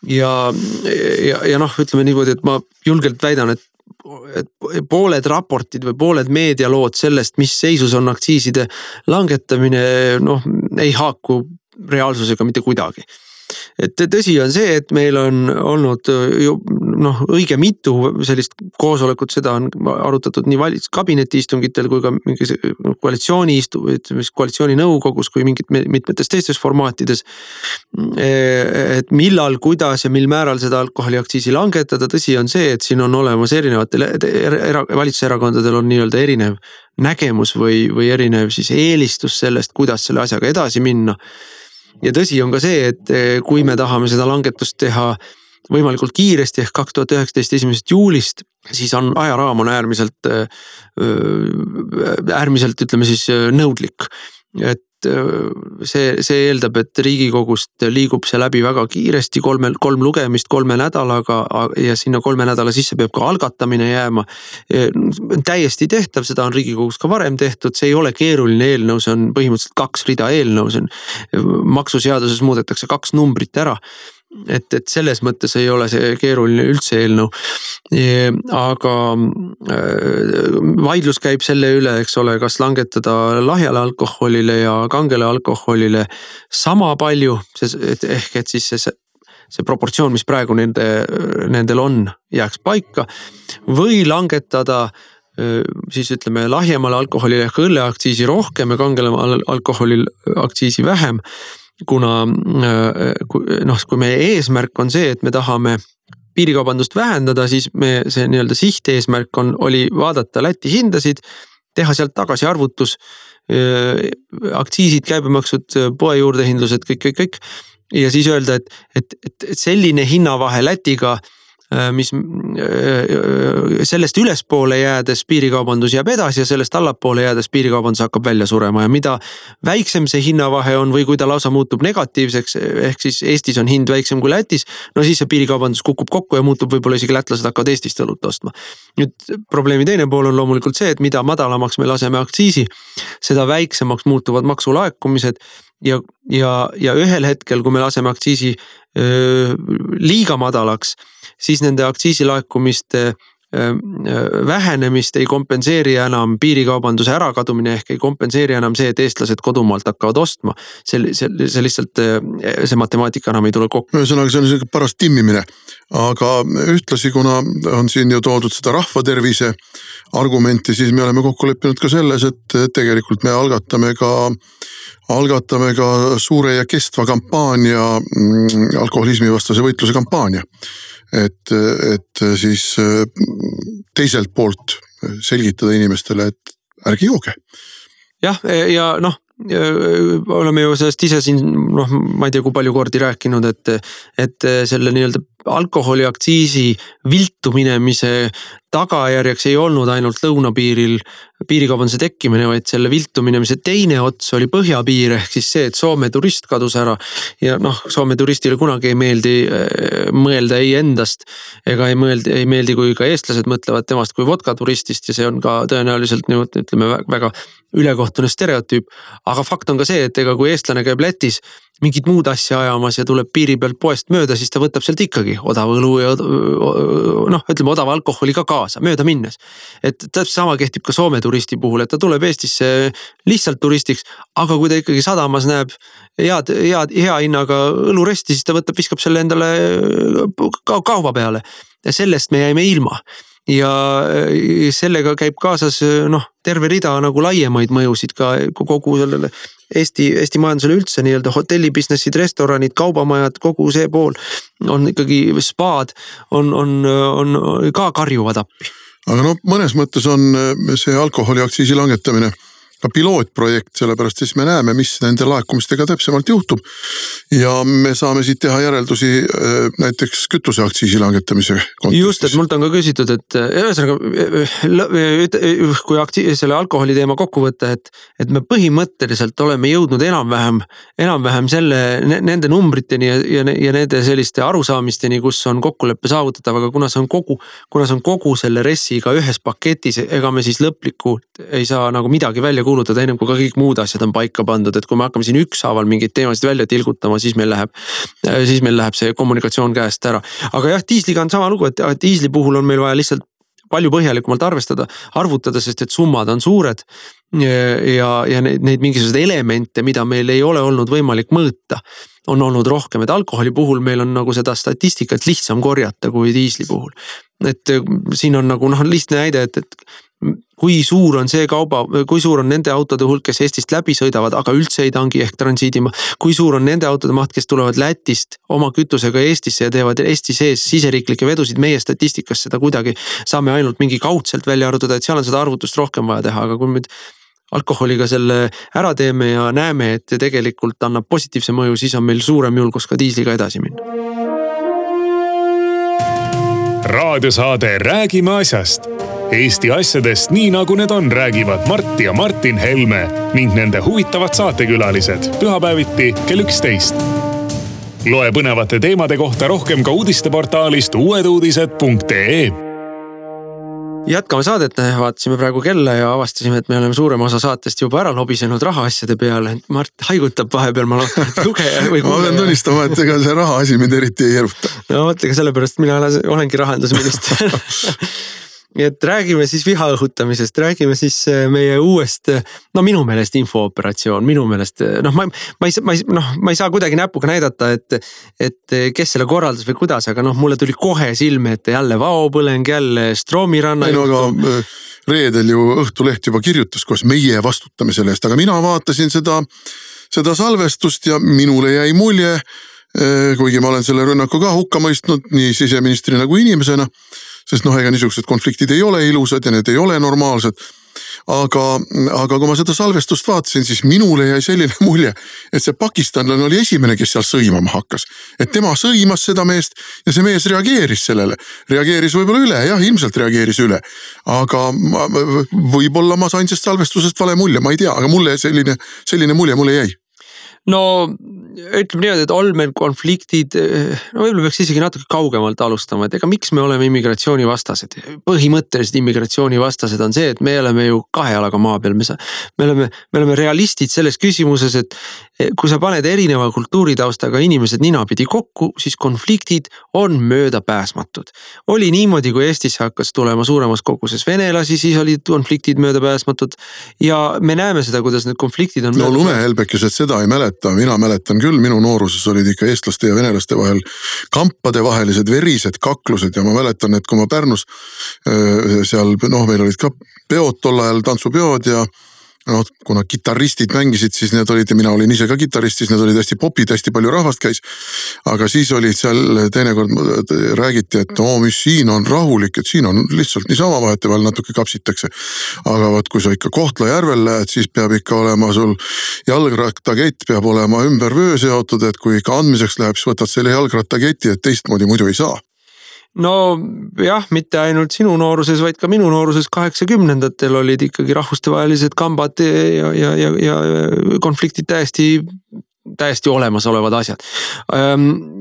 Ja ütleme niimoodi, et ma julgelt väidan, et pooled raportid või pooled meedialood sellest, mis seisus on aktsiiside langetamine, ei haaku reaalsusega mitte kuidagi. Et tõsi on see, et meil on olnud õige mitu sellist koosolekut, seda on arutatud nii valitsuskabineti istungitel kui ka koalitsiooni nõukogus kui mitmetes teistes formaatides. Et millal, kuidas ja mil määral seda alkoholiaktsiisi langetada, tõsi on see, et siin on olemas erinevatel valitsuserakondadel on nii-öelda erinev nägemus või erinev siis eelistus sellest, kuidas selle asjaga edasi minna. Ja tõsi on ka see, et kui me tahame seda langetust teha võimalikult kiiresti ehk 2019 1. juulist, siis on ajaraam on äärmiselt ütleme siis nõudlik. Et see eeldab, et Riigikogust liigub see läbi väga kiiresti, 3 lugemist 3 nädalaga ja sinna 3 nädala sisse peab ka algatamine jääma. Täiesti tehtav, seda on Riigikogus ka varem tehtud, see ei ole keeruline eelnõu, see on põhimõtteliselt 2 rida eelnõu, see on maksuseaduses muudetakse 2 numbrit ära. Et selles mõttes ei ole see keeruline üldse eelnõu. Aga vaidlus käib selle üle, eks ole, kas langetada lahjale alkoholile ja kangele alkoholile sama palju, ehk et siis see proportsioon, mis praegu nendel on, jääks paika või langetada siis ütleme lahjemale alkoholile ehk õlleaktsiisi rohkem ja kangele alkoholil aktsiisi vähem. Kuna kui meie eesmärk on see, et me tahame piirikaubandust vähendada, siis see nii-öelda sihteesmärk oli vaadata Läti hindasid, teha sealt tagasi arvutus, aktsiisid, käibemaksud, poe juurdehindlused, kõik. Ja siis öelda, et selline hinnavahe Lätiga, mis sellest ülespoole jäädes piirikaubandus jääb edasi ja sellest allapoole jäädes piirikaubandus hakkab välja surema ja mida väiksem see hinnavahe on või kui ta lausa muutub negatiivseks, ehk siis Eestis on hind väiksem kui Lätis, siis see piirikaubandus kukub kokku ja muutub võib-olla isegi lätlased hakkavad Eestist õlut ostma. Nüüd probleemi teine pool on loomulikult see, et mida madalamaks me laseme aktsiisi, seda väiksemaks muutuvad maksulaekumised ja ühel hetkel, kui me laseme aktsiisi liiga madalaks, siis nende aktsiisilaekumiste vähenemist ei kompenseeri enam piirikaubanduse ärakadumine ehk ei kompenseeri enam see, et eestlased kodumaalt hakkavad ostma. See lihtsalt, see matemaatika enam ei tule kokku. Ühesõnaga, see on selline paras timmimine, aga ühtlasi, kuna on siin ju toodud seda rahvatervise argumenti, siis me oleme kokku leppinud ka selles, et tegelikult me algatame ka suure ja kestva kampaania, alkoholismi vastase võitluse kampaania. Et siis teiselt poolt selgitada inimestele, et ärge jooge. Jah, ja oleme ju sellest ise siin, ma ei tea, kui palju kordi rääkinud, et selle nii-öelda alkoholiaktsiisi viltu minemise tagajärjeks ei olnud ainult lõunapiiril piirikaubanduse tekkimine, vaid selle viltu minemise teine ots oli põhjapiir ehk siis see, et Soome turist kadus ära ja Soome turistile kunagi ei meeldi mõelda ei endast ega ei meeldi, kui ka eestlased mõtlevad temast kui vodka turistist ja see on ka tõenäoliselt ütleme väga ülekohtune stereotüüp, aga fakt on ka see, et ega kui eestlane käib Lätis mingit muud asja ajamas ja tuleb piiri pealt poest mööda, siis ta võtab sealt ikkagi odava õlu ja ütleme odava alkoholi ka kaasa, mööda minnes. Et täpselt sama kehtib ka Soome turisti puhul, et ta tuleb Eestisse lihtsalt turistiks, aga kui ta ikkagi sadamas näeb hea hinnaga õluresti, siis ta viskab selle endale kauba peale ja sellest me jäime ilma. ja sellega käib kaasas terve rida nagu laiemaid mõjusid ka kogu sellele Eesti majandusele üldse, nii-öelda hotellibusinessid, restoranid, kaubamajad, kogu see pool on ikkagi spaad, on ka karjuvad appi. Aga mõnes mõttes on see alkoholiaktsiisi langetamine ka pilootprojekt, sellepärast siis me näeme, mis nende laekumistega täpsemalt juhtub ja me saame siit teha järeldusi näiteks kütuseaktsiisi langetamise kontekstis. Just, et mult on ka küsitud, et kui selle alkoholi teema kokku võtta, et me põhimõtteliselt oleme jõudnud enam-vähem nende numbriteni ja nende selliste arusaamisteni, kus on kokkuleppe saavutatav, aga kuna see on kogu selle ressiga ühes paketis, ega me siis lõplikult ei saa nagu midagi välja kuulutada ennem kui ka kõik muud asjad on paika pandud, et kui me hakkame siin ükshaaval mingeid teemasid välja tilgutama, siis meil läheb see kommunikatsioon käest ära. Aga jah, diisliga on sama lugu, et diisli puhul on meil vaja lihtsalt palju põhjalikumalt arvutada, sest et summad on suured ja neid mingisugused elemente, mida meil ei ole olnud võimalik mõõta, on olnud rohkem, et alkoholi puhul meil on nagu seda statistikat lihtsam korjata kui diisli puhul. Et siin on nagu lihtne näide, et kui suur on nende autode hulk, kes Eestist läbi sõidavad, aga üldse ei tangi ehk transiidima, kui suur on nende autode maht, kes tulevad Lätist oma kütusega Eestisse ja teevad Eesti sees siseriiklikke vedusid, meie statistikas seda kuidagi saame ainult mingi kaudselt välja arvutada, et seal on seda arvutust rohkem vaja teha, aga kui me alkoholiga selle ära teeme ja näeme, et tegelikult annab positiivse mõju, siis on meil suurem julgus ka diisliga edasi minna. Raadiosaade Räägime asjast. Eesti asjadest nii nagu need on, räägivad Mart ja Martin Helme ning nende huvitavad saatekülalised pühapäeviti kell 11. Loe põnevate teemade kohta rohkem ka uudisteportaalist uueduudised.ee. Jätkame saadet, vaatasime praegu kella ja avastasime, et me oleme suurem osa saatest juba ära lobisenud rahaasjade peale. Mart haigutab vahepeal, ma loodan, et lugeja või kuulaja. Ma pean tunnistama, et ega see rahaasi mind eriti ei eruta. No mõtlega sellepärast mina olengi rahandusminister. Et räägime siis viha õhutamisest, räägime siis meie uuest, minu meelest infooperatsioon, minu meelest, ma ei saa kuidagi näpuga näidata, et kes selle korraldas või kuidas, aga mulle tuli kohe silme, et jälle vaopõleng, jälle Stroomiranna. Aga reedel ju Õhtuleht juba kirjutas, koos meie vastutame selle eest, aga mina vaatasin seda salvestust ja minule jäi mulje, kuigi ma olen selle rünnaku ka hukka mõistnud nii siseministrina kui inimesena, sest ega niisugused konfliktid ei ole ilusad ja need ei ole normaalsed. Aga kui ma seda salvestust vaatasin, siis minule jäi selline mulje, et see pakistanlane oli esimene, kes seal sõimama hakkas. Et tema sõimas seda meest ja see mees reageeris sellele. Reageeris võib-olla üle, jah, ilmselt reageeris üle. Aga võib-olla ma sain sest salvestusest vale mulje, ma ei tea, aga mulle selline mulje mulle jäi. No ütleme niimoodi, et olmen konfliktid, võib-olla peaks isegi natuke kaugemalt alustama, et ega miks me oleme immigratsioonivastased. Põhimõtteliselt immigratsioonivastased on see, et me oleme ju kahe jalaga maa peal. Me oleme realistid selles küsimuses, et kui sa paned erineva kultuuritaustaga inimesed ninapidi kokku, siis konfliktid on möödapääsmatud. Oli niimoodi, kui Eestisse hakkas tulema suuremas koguses venelasi, siis olid konfliktid möödapääsmatud ja me näeme seda, kuidas need konfliktid on lumehelbekesed seda ei mäleta, mina mäletan küll, minu nooruses olid ikka eestlaste ja venelaste vahel kampade vahelised verised kaklused ja ma mäletan, et kui ma Pärnus seal, meil olid ka peod tol ajal, tantsupeod ja kuna kitarristid mängisid, siis need olid, ja mina olin ise ka kitarrist, siis need olid hästi popid, hästi palju rahvast käis. Aga siis olid seal teinekord räägiti, et mis siin on rahulik, et siin on lihtsalt niisama vaheteval natuke kapsitakse. Aga kui sa ikka Kohtla-Järvel lähed, siis peab ikka olema sul jalgrattakett peab olema ümber vöö seotud, et kui ikka andmiseks läheb, siis võtad selle jalgrattaketi, et teistmoodi muidu ei saa. No jah, mitte ainult sinu nooruses, vaid ka minu nooruses 80-ndatel olid ikkagi rahvustevahelised kambad ja konfliktid täiesti olemasolevad asjad.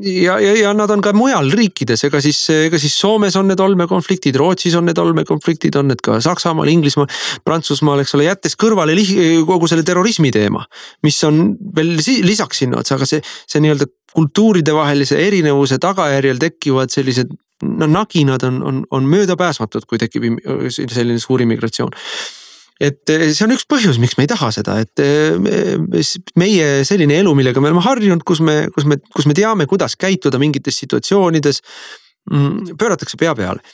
Ja nad on ka mujal riikides, ega siis Soomes on need olmekonfliktid, Rootsis on need olmekonfliktid, on need ka Saksamaal, Inglismaal, Prantsusmaal, eks ole, jättes kõrvale kogu selle terrorismi teema, mis on veel lisaks sinna, aga see nii-öelda kultuuride vahelise erinevuse tagajärjel tekivad sellised naginad on möödapääsmatud, kui tekib selline suur immigratsioon. Et see on üks põhjus, miks me ei taha seda, et meie selline elu, millega me oleme harjunud, kus me teame, kuidas käituda mingites situatsioonides, pööratakse pea peale.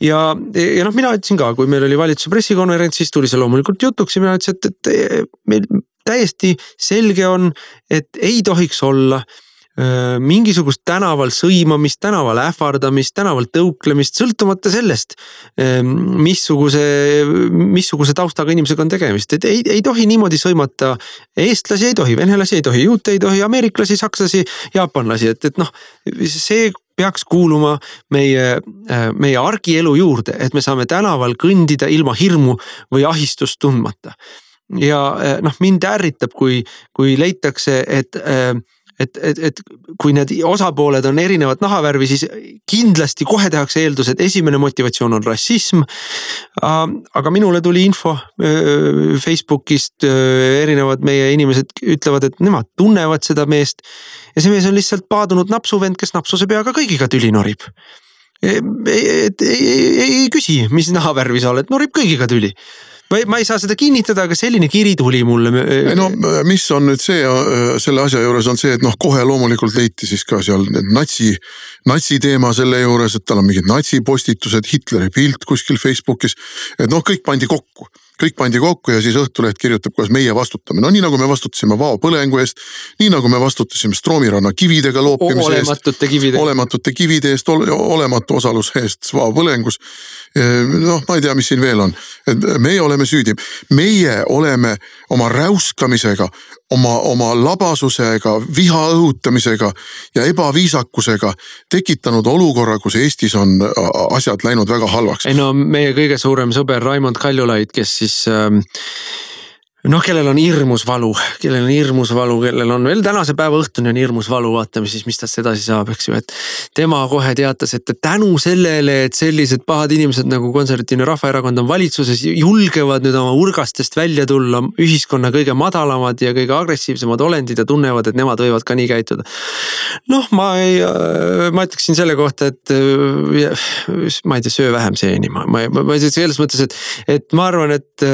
ja noh, mina ütlesin ka, kui meil oli valitsuse pressikonverents, siis tuli see loomulikult jutuks ja mina ütlesin, et meil täiesti selge on, et ei tohiks olla mingisugust tänaval sõimamist, tänaval ähvardamist, tänaval tõuklemist, sõltumata sellest, missuguse taustaga inimesega on tegemist. Et ei tohi niimoodi sõimata eestlasi, ei tohi venelasi, ei tohi juute, ei tohi ameeriklasi, sakslasi, jaapanlasi, et noh, see peaks kuuluma meie argielu juurde, et me saame tänaval kõndida ilma hirmu või ahistust tundmata. Ja noh, mind ärritab, kui leitakse, et kui need osapooled on erinevat nahavärvi, siis kindlasti kohe tehakse eeldus, et esimene motivatsioon on rassism. Aga minule tuli info Facebookist, erinevad meie inimesed ütlevad, et nemad tunnevad seda meest ja see mees on lihtsalt paadunud napsuvend, kes napsuse peaga kõigiga tüli norib. Ei küsi, mis nahavärvi sa oled, norib kõigiga tüli. Ma ei saa seda kinnitada, aga selline kiri tuli mulle. No mis on nüüd see, selle asja juures on see, et noh, kohe loomulikult leiti siis ka seal natsi teema selle juures, et tal on mingid natsipostitused, Hitleri pilt kuskil Facebookis, et noh, kõik pandi kokku ja siis Õhtuleht kirjutab, kuidas meie vastutame. No nii nagu me vastutasime Vao põlengu eest, nii nagu me vastutasime Stroomiranna kividega loopimise eest, olematute kivide eest, olematu osalus eest Vao põlengus. Noh, ma ei tea, mis siin veel on. Et meie oleme süüdi. Meie oleme oma räuskamisega, oma labasusega, viha õhutamisega ja ebaviisakusega tekitanud olukorra, kus Eestis on asjad läinud väga halvaks. Ei no meie kõige suurem sõber Raimond Kaljulaid, kes siis noh, kellel on hirmus valu, kellel on veel tänase päeva õhtuni on hirmus valu, vaatame siis, mis tast edasi saab, eks ju, et tema kohe teatas, et tänu sellele, et sellised pahad inimesed nagu Konservatiivne Rahvaerakond on valitsuses, julgevad nüüd oma urgastest välja tulla ühiskonna kõige madalamad ja kõige agressiivsemad olendid ja tunnevad, et nemad võivad ka nii käituda. Noh, ma ütleksin selle kohta, et ma ei tea, söö vähem seeni, ma selles mõttes, et ma arvan, et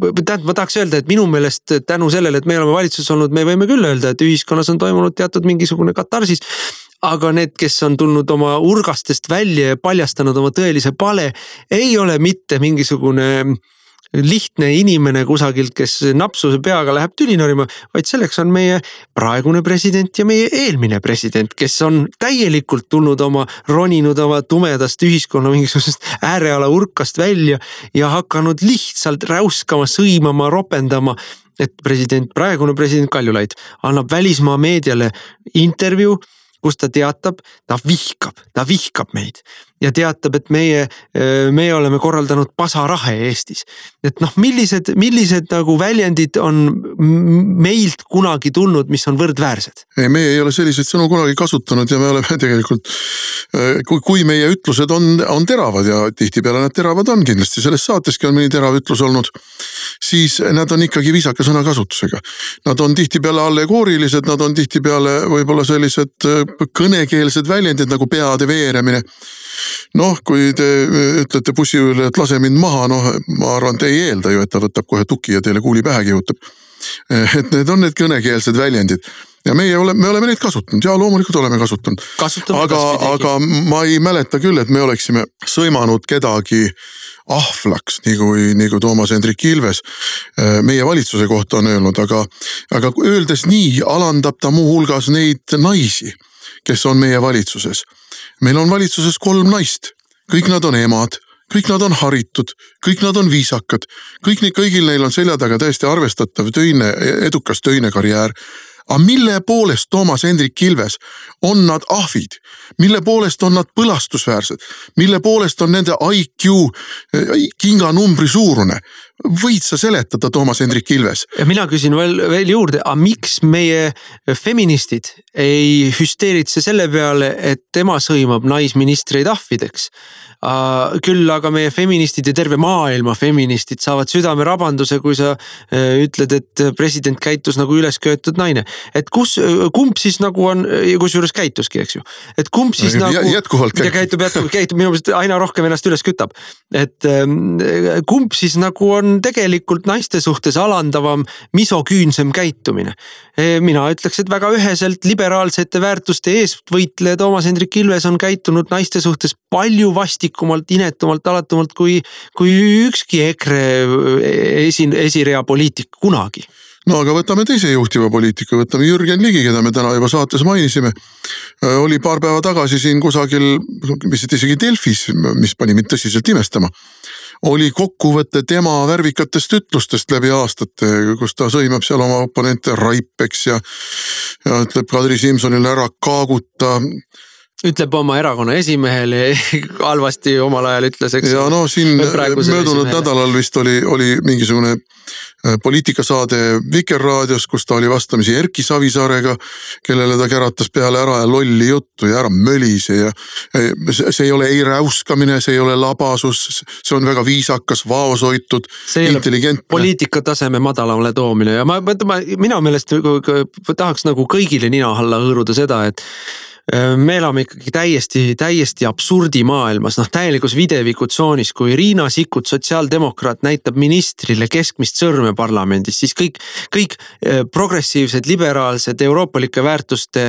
ma tahaks öelda, et minu meelest tänu sellele, et me oleme valitsuses olnud, me võime küll öelda, et ühiskonnas on toimunud teatud mingisugune katarsis, aga need, kes on tulnud oma urgastest välja ja paljastanud oma tõelise pale, ei ole mitte mingisugune lihtne inimene kusagilt, kes napsuse peaga läheb tüli norima, vaid selleks on meie praegune president ja meie eelmine president, kes on täielikult roninud oma tumedast ühiskonna mingisugusest ääreala urkast välja ja hakanud lihtsalt räuskama, sõimama, ropendama, et praegune president Kaljulaid annab välismaa meediale intervjuu, kus ta teatab, ta vihkab meid ja teatab, et meie oleme korraldanud pasarahe Eestis. Et noh, millised nagu väljendid on meilt kunagi tulnud, mis on võrdväärsed? Ei, me ei ole selliseid sõnu kunagi kasutanud ja me oleme tegelikult, kui meie ütlused on teravad ja tihtipeale nad teravad on, kindlasti selles saateski on mõni terav ütlus olnud, siis nad on ikkagi viisaka sõnakasutusega. Nad on tihtipeale allegoorilised, nad on tihtipeale võib-olla sellised kõnekeelsed väljendid nagu peade veeremine. Noh, kui te ütlete bussi üle, et lase mind maha, noh, ma arvan, te ei eelda ju, et ta võtab kohe tuki ja teile kuuli pähe kihutab. Et need on need kõnekeelsed väljendid. Ja me oleme neid kasutanud ja loomulikult oleme kasutanud. Aga ma ei mäleta küll, et me oleksime sõimanud kedagi ahvlaks, nagu Toomas Hendrik Ilves meie valitsuse kohta on öelnud, aga öeldes nii alandab ta muu hulgas neid naisi, kes on meie valitsuses. Meil on valitsuses 3 naist, kõik nad on emad, kõik nad on haritud, kõik nad on viisakad, kõigil neil on selja taga täiesti arvestatav edukas töine karjäär. Aga mille poolest Toomas Hendrik Ilves on nad ahvid? Mille poolest on nad põlastusväärsed? Mille poolest on nende IQ kinganumbri suurune? Võid sa seletada, Toomas Hendrik Ilves? Ja mina küsin veel juurde, aga miks meie feministid ei hüsteeritse selle peale, et tema sõimab naisministreid ahvideks? Küll aga meie feministid ja terve maailma feministid saavad südamerabanduse, kui sa ütled, et president käitus nagu ülesköetud naine. Et kumb siis nagu on, kus juures käituski, eks ju? Et kumb siis nagu... Jätkuvalt käitub, minu meelest aina rohkem ennast üles kütab. Et kumb siis nagu on on tegelikult naiste suhtes alandavam, misoküünsem käitumine. Mina ütleks, et väga üheselt liberaalsete väärtuste eestvõitleja Toomas Hendrik Ilves on käitunud naiste suhtes palju vastikumalt, inetumalt, alatumalt kui ükski EKRE esirea poliitik kunagi. No aga võtame teise juhtiva poliitika, võtame Jürgen Ligi, keda me täna juba saates mainisime. Oli paar päeva tagasi siin kusagil, vist isegi Delfis, mis pani mind tõsiselt imestama, oli kokkuvõte tema värvikatest ütlustest läbi aastate, kus ta sõimab seal oma oponente raipeks ja ütleb Kadri Simsonile ära kaaguta. Ütleb oma erakonna esimehele, halvasti omal ajal ütles, eks. Ja no siin möödunud nädalal vist oli mingisugune poliitikasaade Vikerraadios, kus ta oli vastamisi Erki Savisaarega, kellele ta käratas peale ära ja lolli juttu ja ära mölise ja see ei ole ei räuskamine, see ei ole labasus, see on väga viisakas, vaoshoitud, intelligentne. Poliitika taseme madalamale toomine ja mina meelest tahaks nagu kõigile nina alla hõõruda seda, et me elame ikkagi täiesti absurdi maailmas, täielikus videvikutsooniis, kui Riina Sikkut, sotsiaaldemokraat, näitab ministrile keskmist sõrme parlamendis, siis kõik progressiivsed, liberaalsed, euroopalike väärtuste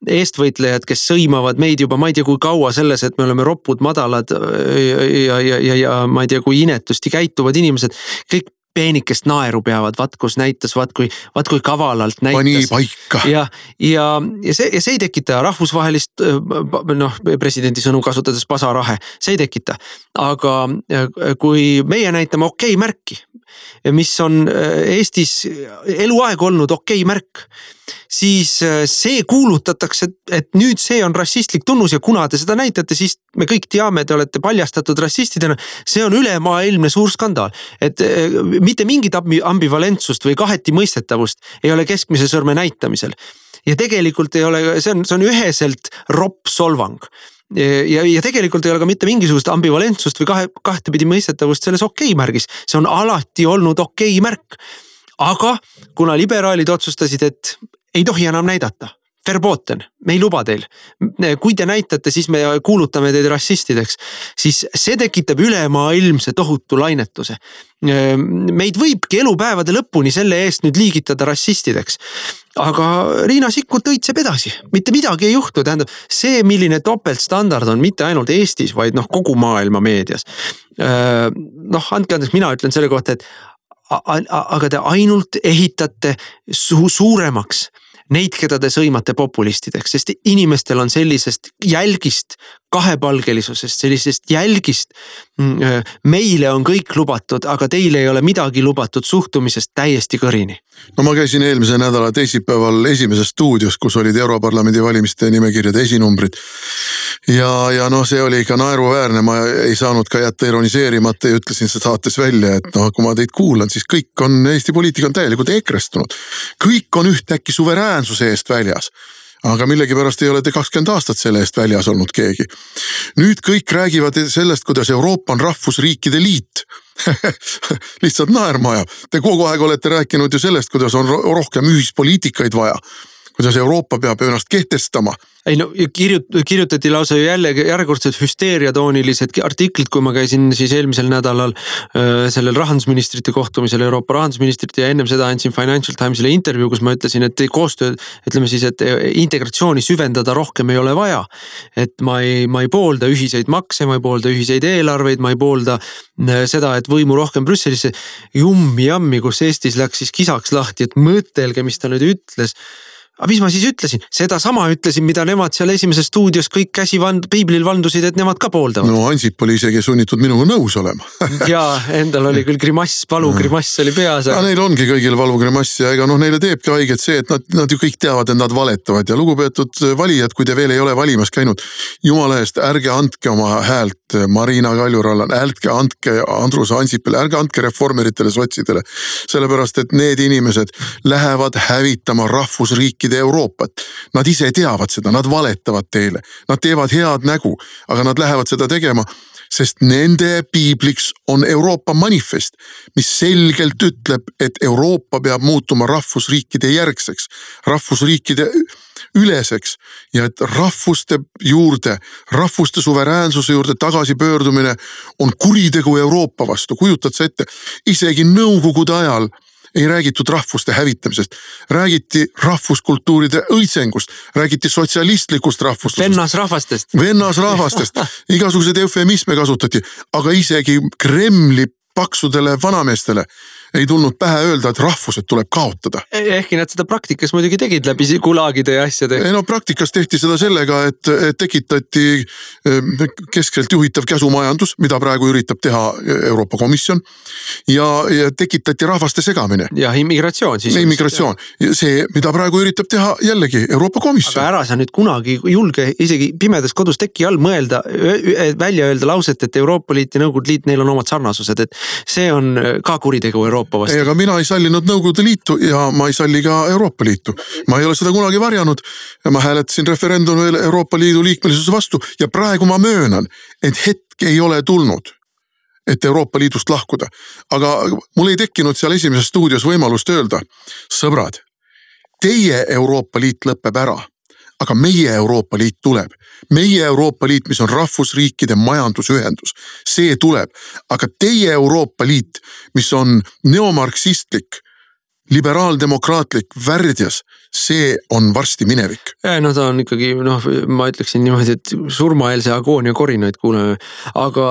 eestvõitlejad, kes sõimavad meid juba, ma ei tea kui kaua selles, et me oleme ropud, madalad ja ma ei tea kui inetusti käituvad inimesed, kõik peenikest naeru peavad, kus näitas, kui kavalalt näitas. Pani paika. Ja see ei tekita rahvusvahelist, presidendi sõnu kasutades pasarahe, see ei tekita. Aga kui meie näitame okei märki, mis on Eestis eluaeg olnud okei märk, siis see kuulutatakse, et nüüd see on rassistlik tunnus ja kuna te seda näitate, siis me kõik teame, te olete paljastatud rassistidena, see on ülemaailmne suur skandaal. Et mitte mingit ambivalentsust või kaheti mõistetavust ei ole keskmise sõrme näitamisel. Ja tegelikult ei ole, see on üheselt ropp solvang. Ja tegelikult ei ole ka mitte mingisugust ambivalentsust või kahtepidi mõistetavust selles okei märgis. See on alati olnud okei märk. Aga kuna liberaalid otsustasid, et ei tohi enam näidata, verboten, me ei luba teil. Kui te näitate, siis me kuulutame teid rassistideks, siis see tekitab ülemaailmse tohutu lainetuse. Meid võibki elupäevade lõpuni selle eest nüüd liigitada rassistideks. Aga Riina Sikkut õitseb edasi, mitte midagi ei juhtu, tähendab see, milline topeltstandard on mitte ainult Eestis, vaid kogu maailma meedias. Andke andeks, mina ütlen selle kohta, et aga te ainult ehitate suuremaks neid, keda te sõimate populistideks, sest inimestel on sellisest jälgist, kahepalgelisusest, sellisest jälgist. Meile on kõik lubatud, aga teile ei ole midagi lubatud suhtumisest täiesti kõrini. No ma käisin eelmise nädala teisipäeval esimeses stuudios, kus olid Europarlamendi valimiste nimekirjade esinumbrid. Ja see oli ikka naeruväärne, ma ei saanud ka jätta ironiseerimata ja ütlesin see saates välja, et kui ma teid kuulan, siis kõik on, Eesti poliitika on täielikult ekrestunud. Kõik on ühtäkki suveräänsuse eest väljas. Aga millegipärast ei ole te 20 aastat selle eest väljas olnud keegi. Nüüd kõik räägivad sellest, kuidas Euroopa on rahvusriikide liit. Lihtsalt naerma ajab. Te kogu aeg olete rääkinud ju sellest, kuidas on rohkem ühispoliitikaid vaja. Kuidas Euroopa peab ennast kehtestama. Ei kirjutati lausa järjekordselt hüsteeriatoonilised artiklid, kui ma käisin siis eelmisel nädalal sellel rahandusministrite kohtumisel, Euroopa rahandusministrite ja ennem seda andsin Financial Timesile intervjuu, kus ma ütlesin, et koostöö, ütleme siis, et integratsiooni süvendada rohkem ei ole vaja. Et ma ei poolda ühiseid makse, ma ei poolda ühiseid eelarveid, ma ei poolda seda, et võimu rohkem Brüsselisse jammi, kus Eestis läks siis kisaks lahti, et mõtelge, mis ta nüüd ütles. Aga mis ma siis ütlesin? Seda sama ütlesin, mida nemad seal esimeses stuudios kõik piiblil vandusid, et nemad ka pooldavad. No Ansip oli isegi sunnitud minuga nõus olema. Ja endal oli küll grimass, valugrimass oli peas. Ja neil ongi kõigil valugrimass ja ega neile teebki haiget see, et nad ju kõik teavad, et nad valetavad. Ja lugupeetud valijad, kui te veel ei ole valimas käinud, jumala eest, ärge andke oma häält Marina Kaljurallan, ärge andke Andrus Ansipile, ärge andke reformeritele, sotsidele. Sellepärast, et need inimesed lähevad hävitama rahvusriikide Euroopat. Nad ise teavad seda, nad valetavad teile, nad teevad head nägu, aga nad lähevad seda tegema sest nende piibliks on Euroopa manifest, mis selgelt ütleb, et Euroopa peab muutuma rahvusriikide järgseks, rahvusriikide üleseks ja et rahvuste juurde, rahvuste suveräänsuse juurde tagasi pöördumine on kuritegu Euroopa vastu. Kujutad sa ette, isegi nõukogude ajal ei räägitud rahvuste hävitamisest, räägiti rahvuskultuuride õitsengust, räägiti sotsialistlikust rahvustusest. Vennasrahvastest, igasuguseid eufemisme kasutati, aga isegi Kremli paksudele vanameestele ei tulnud pähe öelda, et rahvused tuleb kaotada. Ehkki nad seda praktikas muidugi tegid läbi gulaagide ja asjade. No praktikas tehti seda sellega, et tekitati keskselt juhitav käsumajandus, mida praegu üritab teha Euroopa Komisjon ja tekitati rahvaste segamine. Ja immigratsioon siis. Immigratsioon. See, mida praegu üritab teha jällegi Euroopa Komisjon. Aga ära sa nüüd kunagi julge isegi pimedas kodus teki all mõelda, välja öelda lauset, et Euroopa Liit ja Nõukogude Liit, neil on omad sarnasused, et see on ka kuritegu Euroopa vastu. Ei, aga mina ei sallinud Nõukogude Liitu ja ma ei salli ka Euroopa Liitu. Ma ei ole seda kunagi varjanud ja ma hääletasin referendumil Euroopa Liidu liikmelisuse vastu ja praegu ma möönan, et hetk ei ole tulnud, et Euroopa Liidust lahkuda. Aga mul ei tekkinud seal esimeses stuudios võimalust öelda, sõbrad, teie Euroopa Liit lõpeb ära, aga meie Euroopa Liit tuleb. Meie Euroopa Liit, mis on rahvusriikide majandusühendus, see tuleb. Aga teie Euroopa Liit, mis on neomarksistlik, liberaaldemokraatlik, värdjas, see on varsti minevik. No ta on ikkagi, ma ütleksin niimoodi, et surmaeelse agoonia korinaid kuuleme. Aga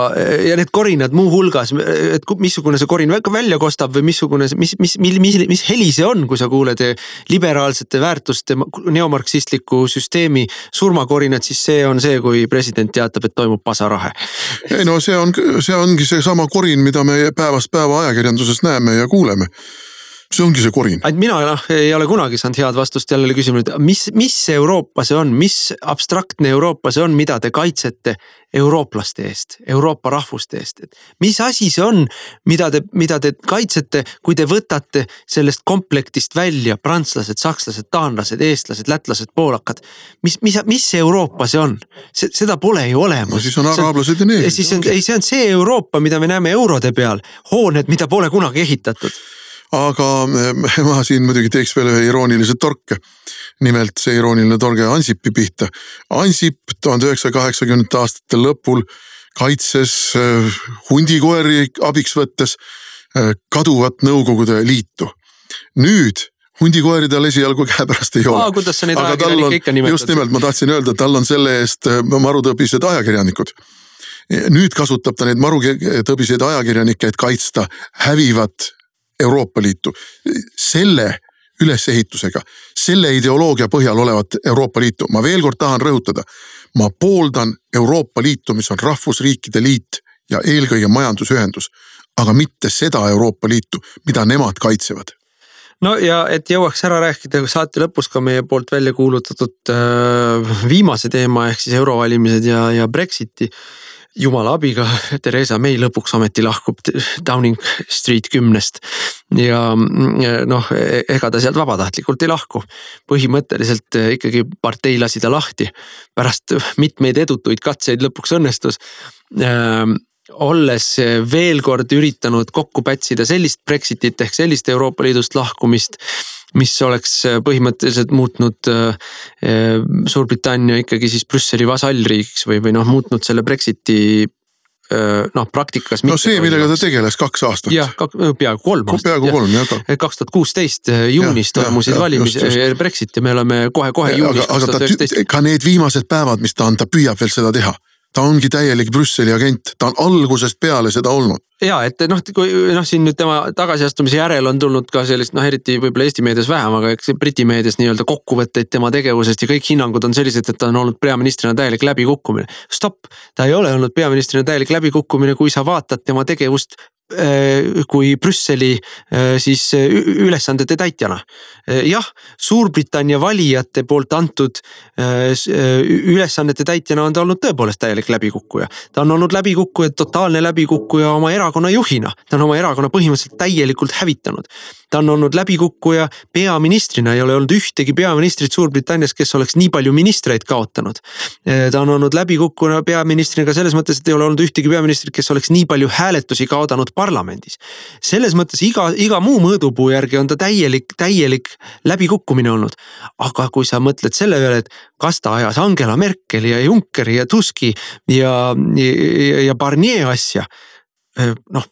ja need korinad muu hulgas, et missugune see korin välja kostab või mis heli see on, kui sa kuuled liberaalsete väärtuste neomarksistliku süsteemi surmakorinad, siis see on see, kui president teatab, et toimub pasarahe. Ei no see ongi see sama korin, mida me päevast päeva ajakirjanduses näeme ja kuuleme. See ongi see korin. Mina ei ole kunagi saanud head vastust jälle küsimusele, mis Euroopa see on, mis abstraktne Euroopa see on, mida te kaitsete eurooplaste eest, Euroopa rahvuste eest. Mis asi see on, mida te kaitsete, kui te võtate sellest komplektist välja prantslased, sakslased, taanlased, eestlased, lätlased, poolakad. Mis Euroopa see on? Seda pole ju olemas. No siis on araablased ja neegrid. See on see Euroopa, mida me näeme eurode peal, hooned, mida pole kunagi ehitatud. Aga ma siin muidugi teeks veel ühe iroonilise torke. Nimelt see irooniline torge Ansipi pihta. Ansip 1980 aastate lõpul kaitses hundikoeri abiks võttes kaduvat Nõukogude Liitu. Nüüd hundikoeri tal esialgu käepärast ei ole. Kuidas sa neid ajakirjanikke ikka nimetad? Just nimelt, ma tahtsin öelda, tal on selle eest marutõbised ajakirjanikud. Nüüd kasutab ta neid marutõbiseid ajakirjanikke, et kaitsta hävivat Euroopa Liitu. Selle ülesehitusega, selle ideoloogia põhjal olevat Euroopa Liitu. Ma veel kord tahan rõhutada. Ma pooldan Euroopa Liitu, mis on rahvusriikide liit ja eelkõige majandusühendus, aga mitte seda Euroopa Liitu, mida nemad kaitsevad. No ja et jõuaks ära rääkida saate lõpus ka meie poolt välja kuulutatud viimase teema ehk siis eurovalimised ja Brexiti. Jumala abiga Theresa May lõpuks ameti lahkub Downing Street 10 ja ega ta sealt vabatahtlikult ei lahku. Põhimõtteliselt ikkagi partei lasi ta lahti. Pärast mitmeid edutuid katseid lõpuks õnnestus. Olles veel kord üritanud kokku pätsida sellist Brexitit ehk sellist Euroopa Liidust lahkumist, mis oleks põhimõtteliselt muutnud Suurbritannia ikkagi siis Brüsseli vasallriigiks või muutnud selle Brexiti praktikas. No see, millega ta tegeles 2 aastat. Jah, peaaegu 3 aastat. Peaaegu 3, jah. 2016 juunis toimusid Brexit ja me oleme kohe juunis 2019. Ka need viimased päevad, mis ta püüab veel seda teha. Ta ongi täielik Brüsseli agent, ta on algusest peale seda olnud. Ja, et kui siin nüüd tema tagasiastumise järel on tulnud ka sellist, eriti võib-olla Eesti meedias vähem, aga eks Briti meedias nii-öelda kokkuvõtteid tema tegevusest ja kõik hinnangud on sellised, et ta on olnud peaministrina täielik läbikukkumine. Stop, ta ei ole olnud peaministrina täielik läbikukkumine, kui sa vaatad tema tegevust kui Brüsseli siis ülesandete täitjana. Jah, Suurbritannia valijate poolt antud ülesannete täitjana on ta olnud tõepoolest täielik läbikukkuja. Ta on olnud läbikukkuja, totaalne läbikukkuja oma erakonna juhina. Ta on oma erakonna põhimõtteliselt täielikult hävitanud. Ta on olnud läbikukkuja peaministrina, ei ole olnud ühtegi peaministrit Suurbritannias, kes oleks nii palju ministreid kaotanud. Ta on olnud läbikukkuja peaministrina ka selles mõttes, et ei ole olnud ühtegi peaministrit, kes oleks nii palju hääletusi kaotanud parlamendis. Selles mõttes iga muu mõõdupuu järgi on ta täielik läbikukkumine olnud. Aga kui sa mõtled selle peale, et kas ta ajas Angela Merkeli ja Junckeri ja Tuski ja Barnier asja, noh,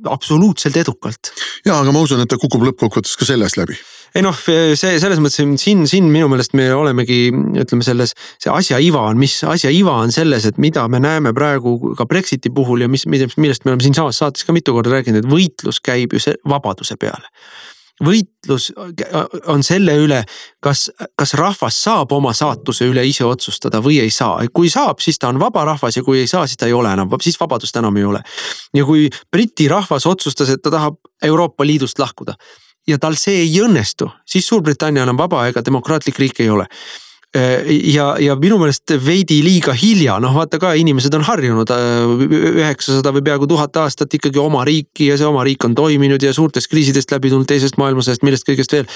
absoluutselt edukalt. Jaa, aga ma usun, et ta kukub lõppkokkuvõttes ka sellest läbi. Ei noh, selles mõttes siin minu meelest me olemegi, ütleme see asja iva on selles, et mida me näeme praegu ka Brexiti puhul ja millest me oleme siin saates ka mitu korda rääkinud, et võitlus käib ju vabaduse peale. Võitlus on selle üle, kas rahvas saab oma saatuse üle ise otsustada või ei saa. Kui saab, siis ta on vaba rahvas ja kui ei saa, siis ta ei ole enam, siis vabadust enam ei ole. Ja kui Briti rahvas otsustas, et ta tahab Euroopa Liidust lahkuda ja tal see ei õnnestu, siis Suurbritannia on vaba ega demokraatlik riik ei ole. Ja minu meelest veidi liiga hilja, noh vaata ka inimesed on harjunud 900 või peaaegu 1000 aastat ikkagi oma riiki ja see oma riik on toiminud ja suurtest kriisidest läbi tulnud teisest maailmasõjast, millest kõigest veel.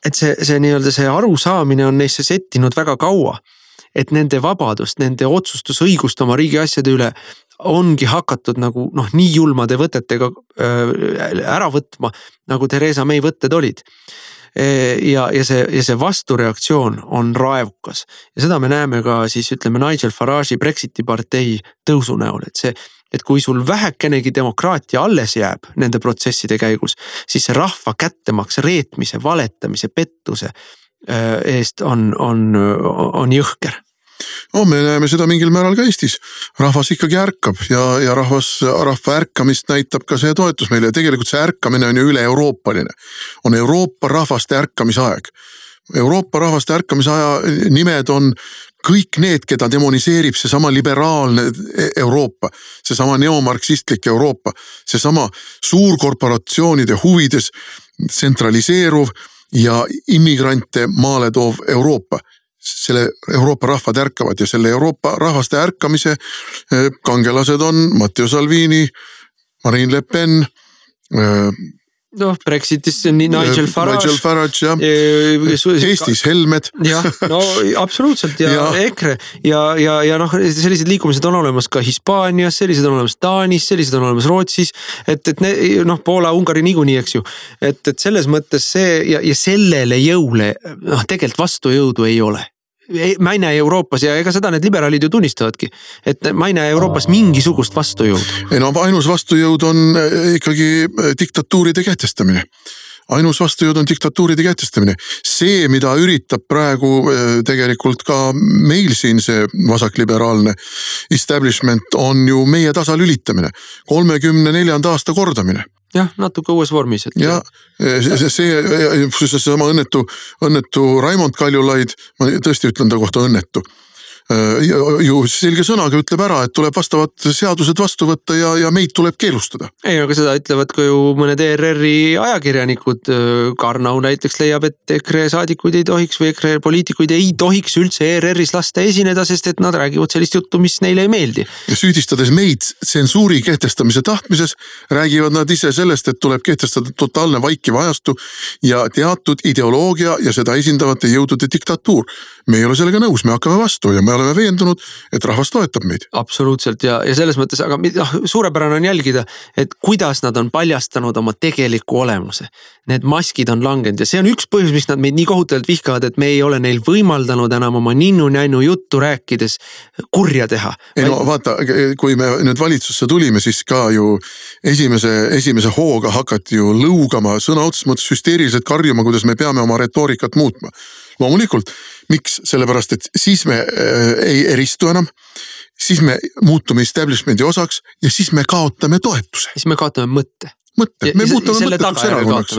Et see nii-öelda see arusaamine on neisse settinud väga kaua, et nende vabadust, nende otsustusõigust oma riigi asjade üle ongi hakatud nagu nii julmade võtetega ära võtma, nagu Theresa May võtted olid. Ja see vastureaktsioon on raevukas ja seda me näeme ka siis ütleme Nigel Farage'i Brexiti partei tõusu näol, et kui sul vähekenegi demokraatia alles jääb nende protsesside käigus, siis see rahva kättemaks reetmise, valetamise, pettuse eest on jõhker. Me näeme seda mingil määral ka Eestis. Rahvas ikkagi ärkab ja rahva ärkamist näitab ka see toetus meile. Tegelikult see ärkamine on ju üle-euroopaline. On Euroopa rahvaste ärkamise aeg. Euroopa rahvaste ärkamise aja nimed on kõik need, keda demoniseerib see sama liberaalne Euroopa, see sama neomarksistlik Euroopa, see sama suurkorporatsioonide huvides tsentraliseeruv ja immigrante maale toov Euroopa. Selle Euroopa rahvad ärkavad ja selle Euroopa rahvaste ärkamise kangelased on Matteo Salvini, Marine Le Pen, Brexitis Nigel Farage ja Eestis Helmed. Jah, no absoluutselt ja EKRE ja sellised liikumised on olemas ka Hispaanias, sellised on olemas Taanis, sellised on olemas Rootsis, et Poola, Ungari niikuinii, eks ju. Et selles mõttes see ja sellele jõule tegelikult vastujõudu ei ole. Ma ei näe Euroopas ja ega seda need liberaalid ju tunnistavadki, et ma ei näe Euroopas mingisugust vastujõudu. Ainus vastujõud on ikkagi diktatuuride kehtestamine. Ainus vastujõud on diktatuuride kehtestamine. See, mida üritab praegu tegelikult ka meil siin see vasakliberaalne establishment on ju meie tasalülitamine. 34. aasta kordamine. Jah, natuke uues vormis. Ja see sama õnnetu Raimond Kaljulaid, ma tõesti ütlen ta kohta õnnetu, ju selge sõnaga ütleb ära, et tuleb vastavad seadused vastu võtta ja meid tuleb keelustada. Ei, aga seda ütlevad ka ju mõned ERR-i ajakirjanikud. Karnau näiteks leiab, et EKRE saadikuid ei tohiks või EKRE poliitikuid ei tohiks üldse ERR-is lasta esineda, sest et nad räägivad sellist juttu, mis neile ei meeldi. Ja süüdistades meid tsensuuri kehtestamise tahtmises, räägivad nad ise sellest, et tuleb kehtestada totaalne vaikiv ajastu ja teatud ideoloogia ja seda esindavate jõudude diktatuur. Me ei ole sellega nõus, me hakkame vastu ja me oleme veendunud, et rahvas toetab meid. Absoluutselt ja selles mõttes, aga suurepärane on jälgida, et kuidas nad on paljastanud oma tegeliku olemuse. Need maskid on langenud ja see on üks põhjus, miks nad meid nii kohutavalt vihkavad, et me ei ole neil võimaldanud enam oma ninnu-nännu juttu rääkides kurja teha. Vaata, kui me nüüd valitsusse tulime, siis ka ju esimese hooga hakati ju lõugama, sõna otseses mõttes hüsteeriliselt karjuma, kuidas me peame oma retoorikat muutma. Loomulikult, miks? Sellepärast, et siis me ei eristu enam, siis me muutume establishmendi osaks ja siis me kaotame toetuse. Siis me kaotame mõtte. mõtted, me muutume mõttetuks erakonnaks.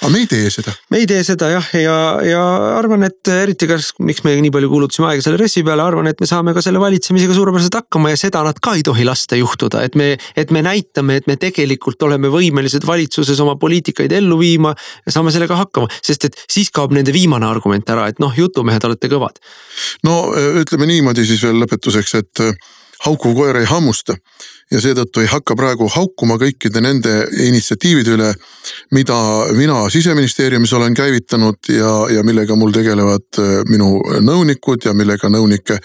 Aga me ei tee seda. Me ei tee seda jah, ja arvan, et eriti miks me nii palju kuulutasime aega selle ressi peale, arvan, et me saame ka selle valitsemisega suurepäraselt hakkama ja seda nad ka ei tohi lasta juhtuda, et me näitame, et me tegelikult oleme võimelised valitsuses oma poliitikaid ellu viima ja saame sellega hakkama, sest et siis kaob nende viimane argument ära, et jutumehed olete kõvad. No ütleme niimoodi siis veel lõpetuseks, et haukuv koer ei hammusta ja seetõttu ei hakka praegu haukuma kõikide nende initsiatiivide üle, mida mina Siseministeeriumis olen käivitanud ja millega mul tegelevad minu nõunikud ja millega nõunike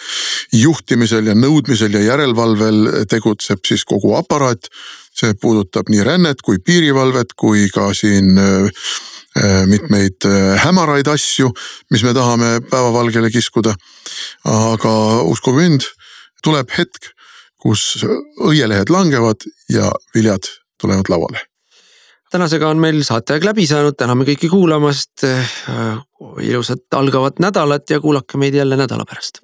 juhtimisel ja nõudmisel ja järelevalvel tegutseb siis kogu aparaat. See puudutab nii rännet kui piirivalvet kui ka siin mitmeid hämaraid asju, mis me tahame päevavalgele kiskuda. Aga uskuge mind, tuleb hetk, kus õielehed langevad ja viljad tulevad lauale. Tänasega on meil saateaeg läbi saanud, täname kõiki kuulamast, ilusat algavat nädalat ja kuulake meid jälle nädala pärast.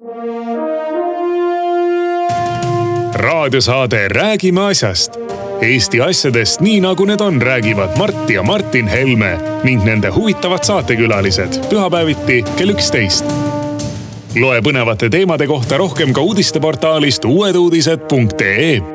Raadiosaade Räägime asjast. Eesti asjadest nii nagu need on, räägivad Mart ja Martin Helme ning nende huvitavad saatekülalised pühapäeviti kell 11. Loe põnevate teemade kohta rohkem ka uudisteportaalist uueduudised.ee.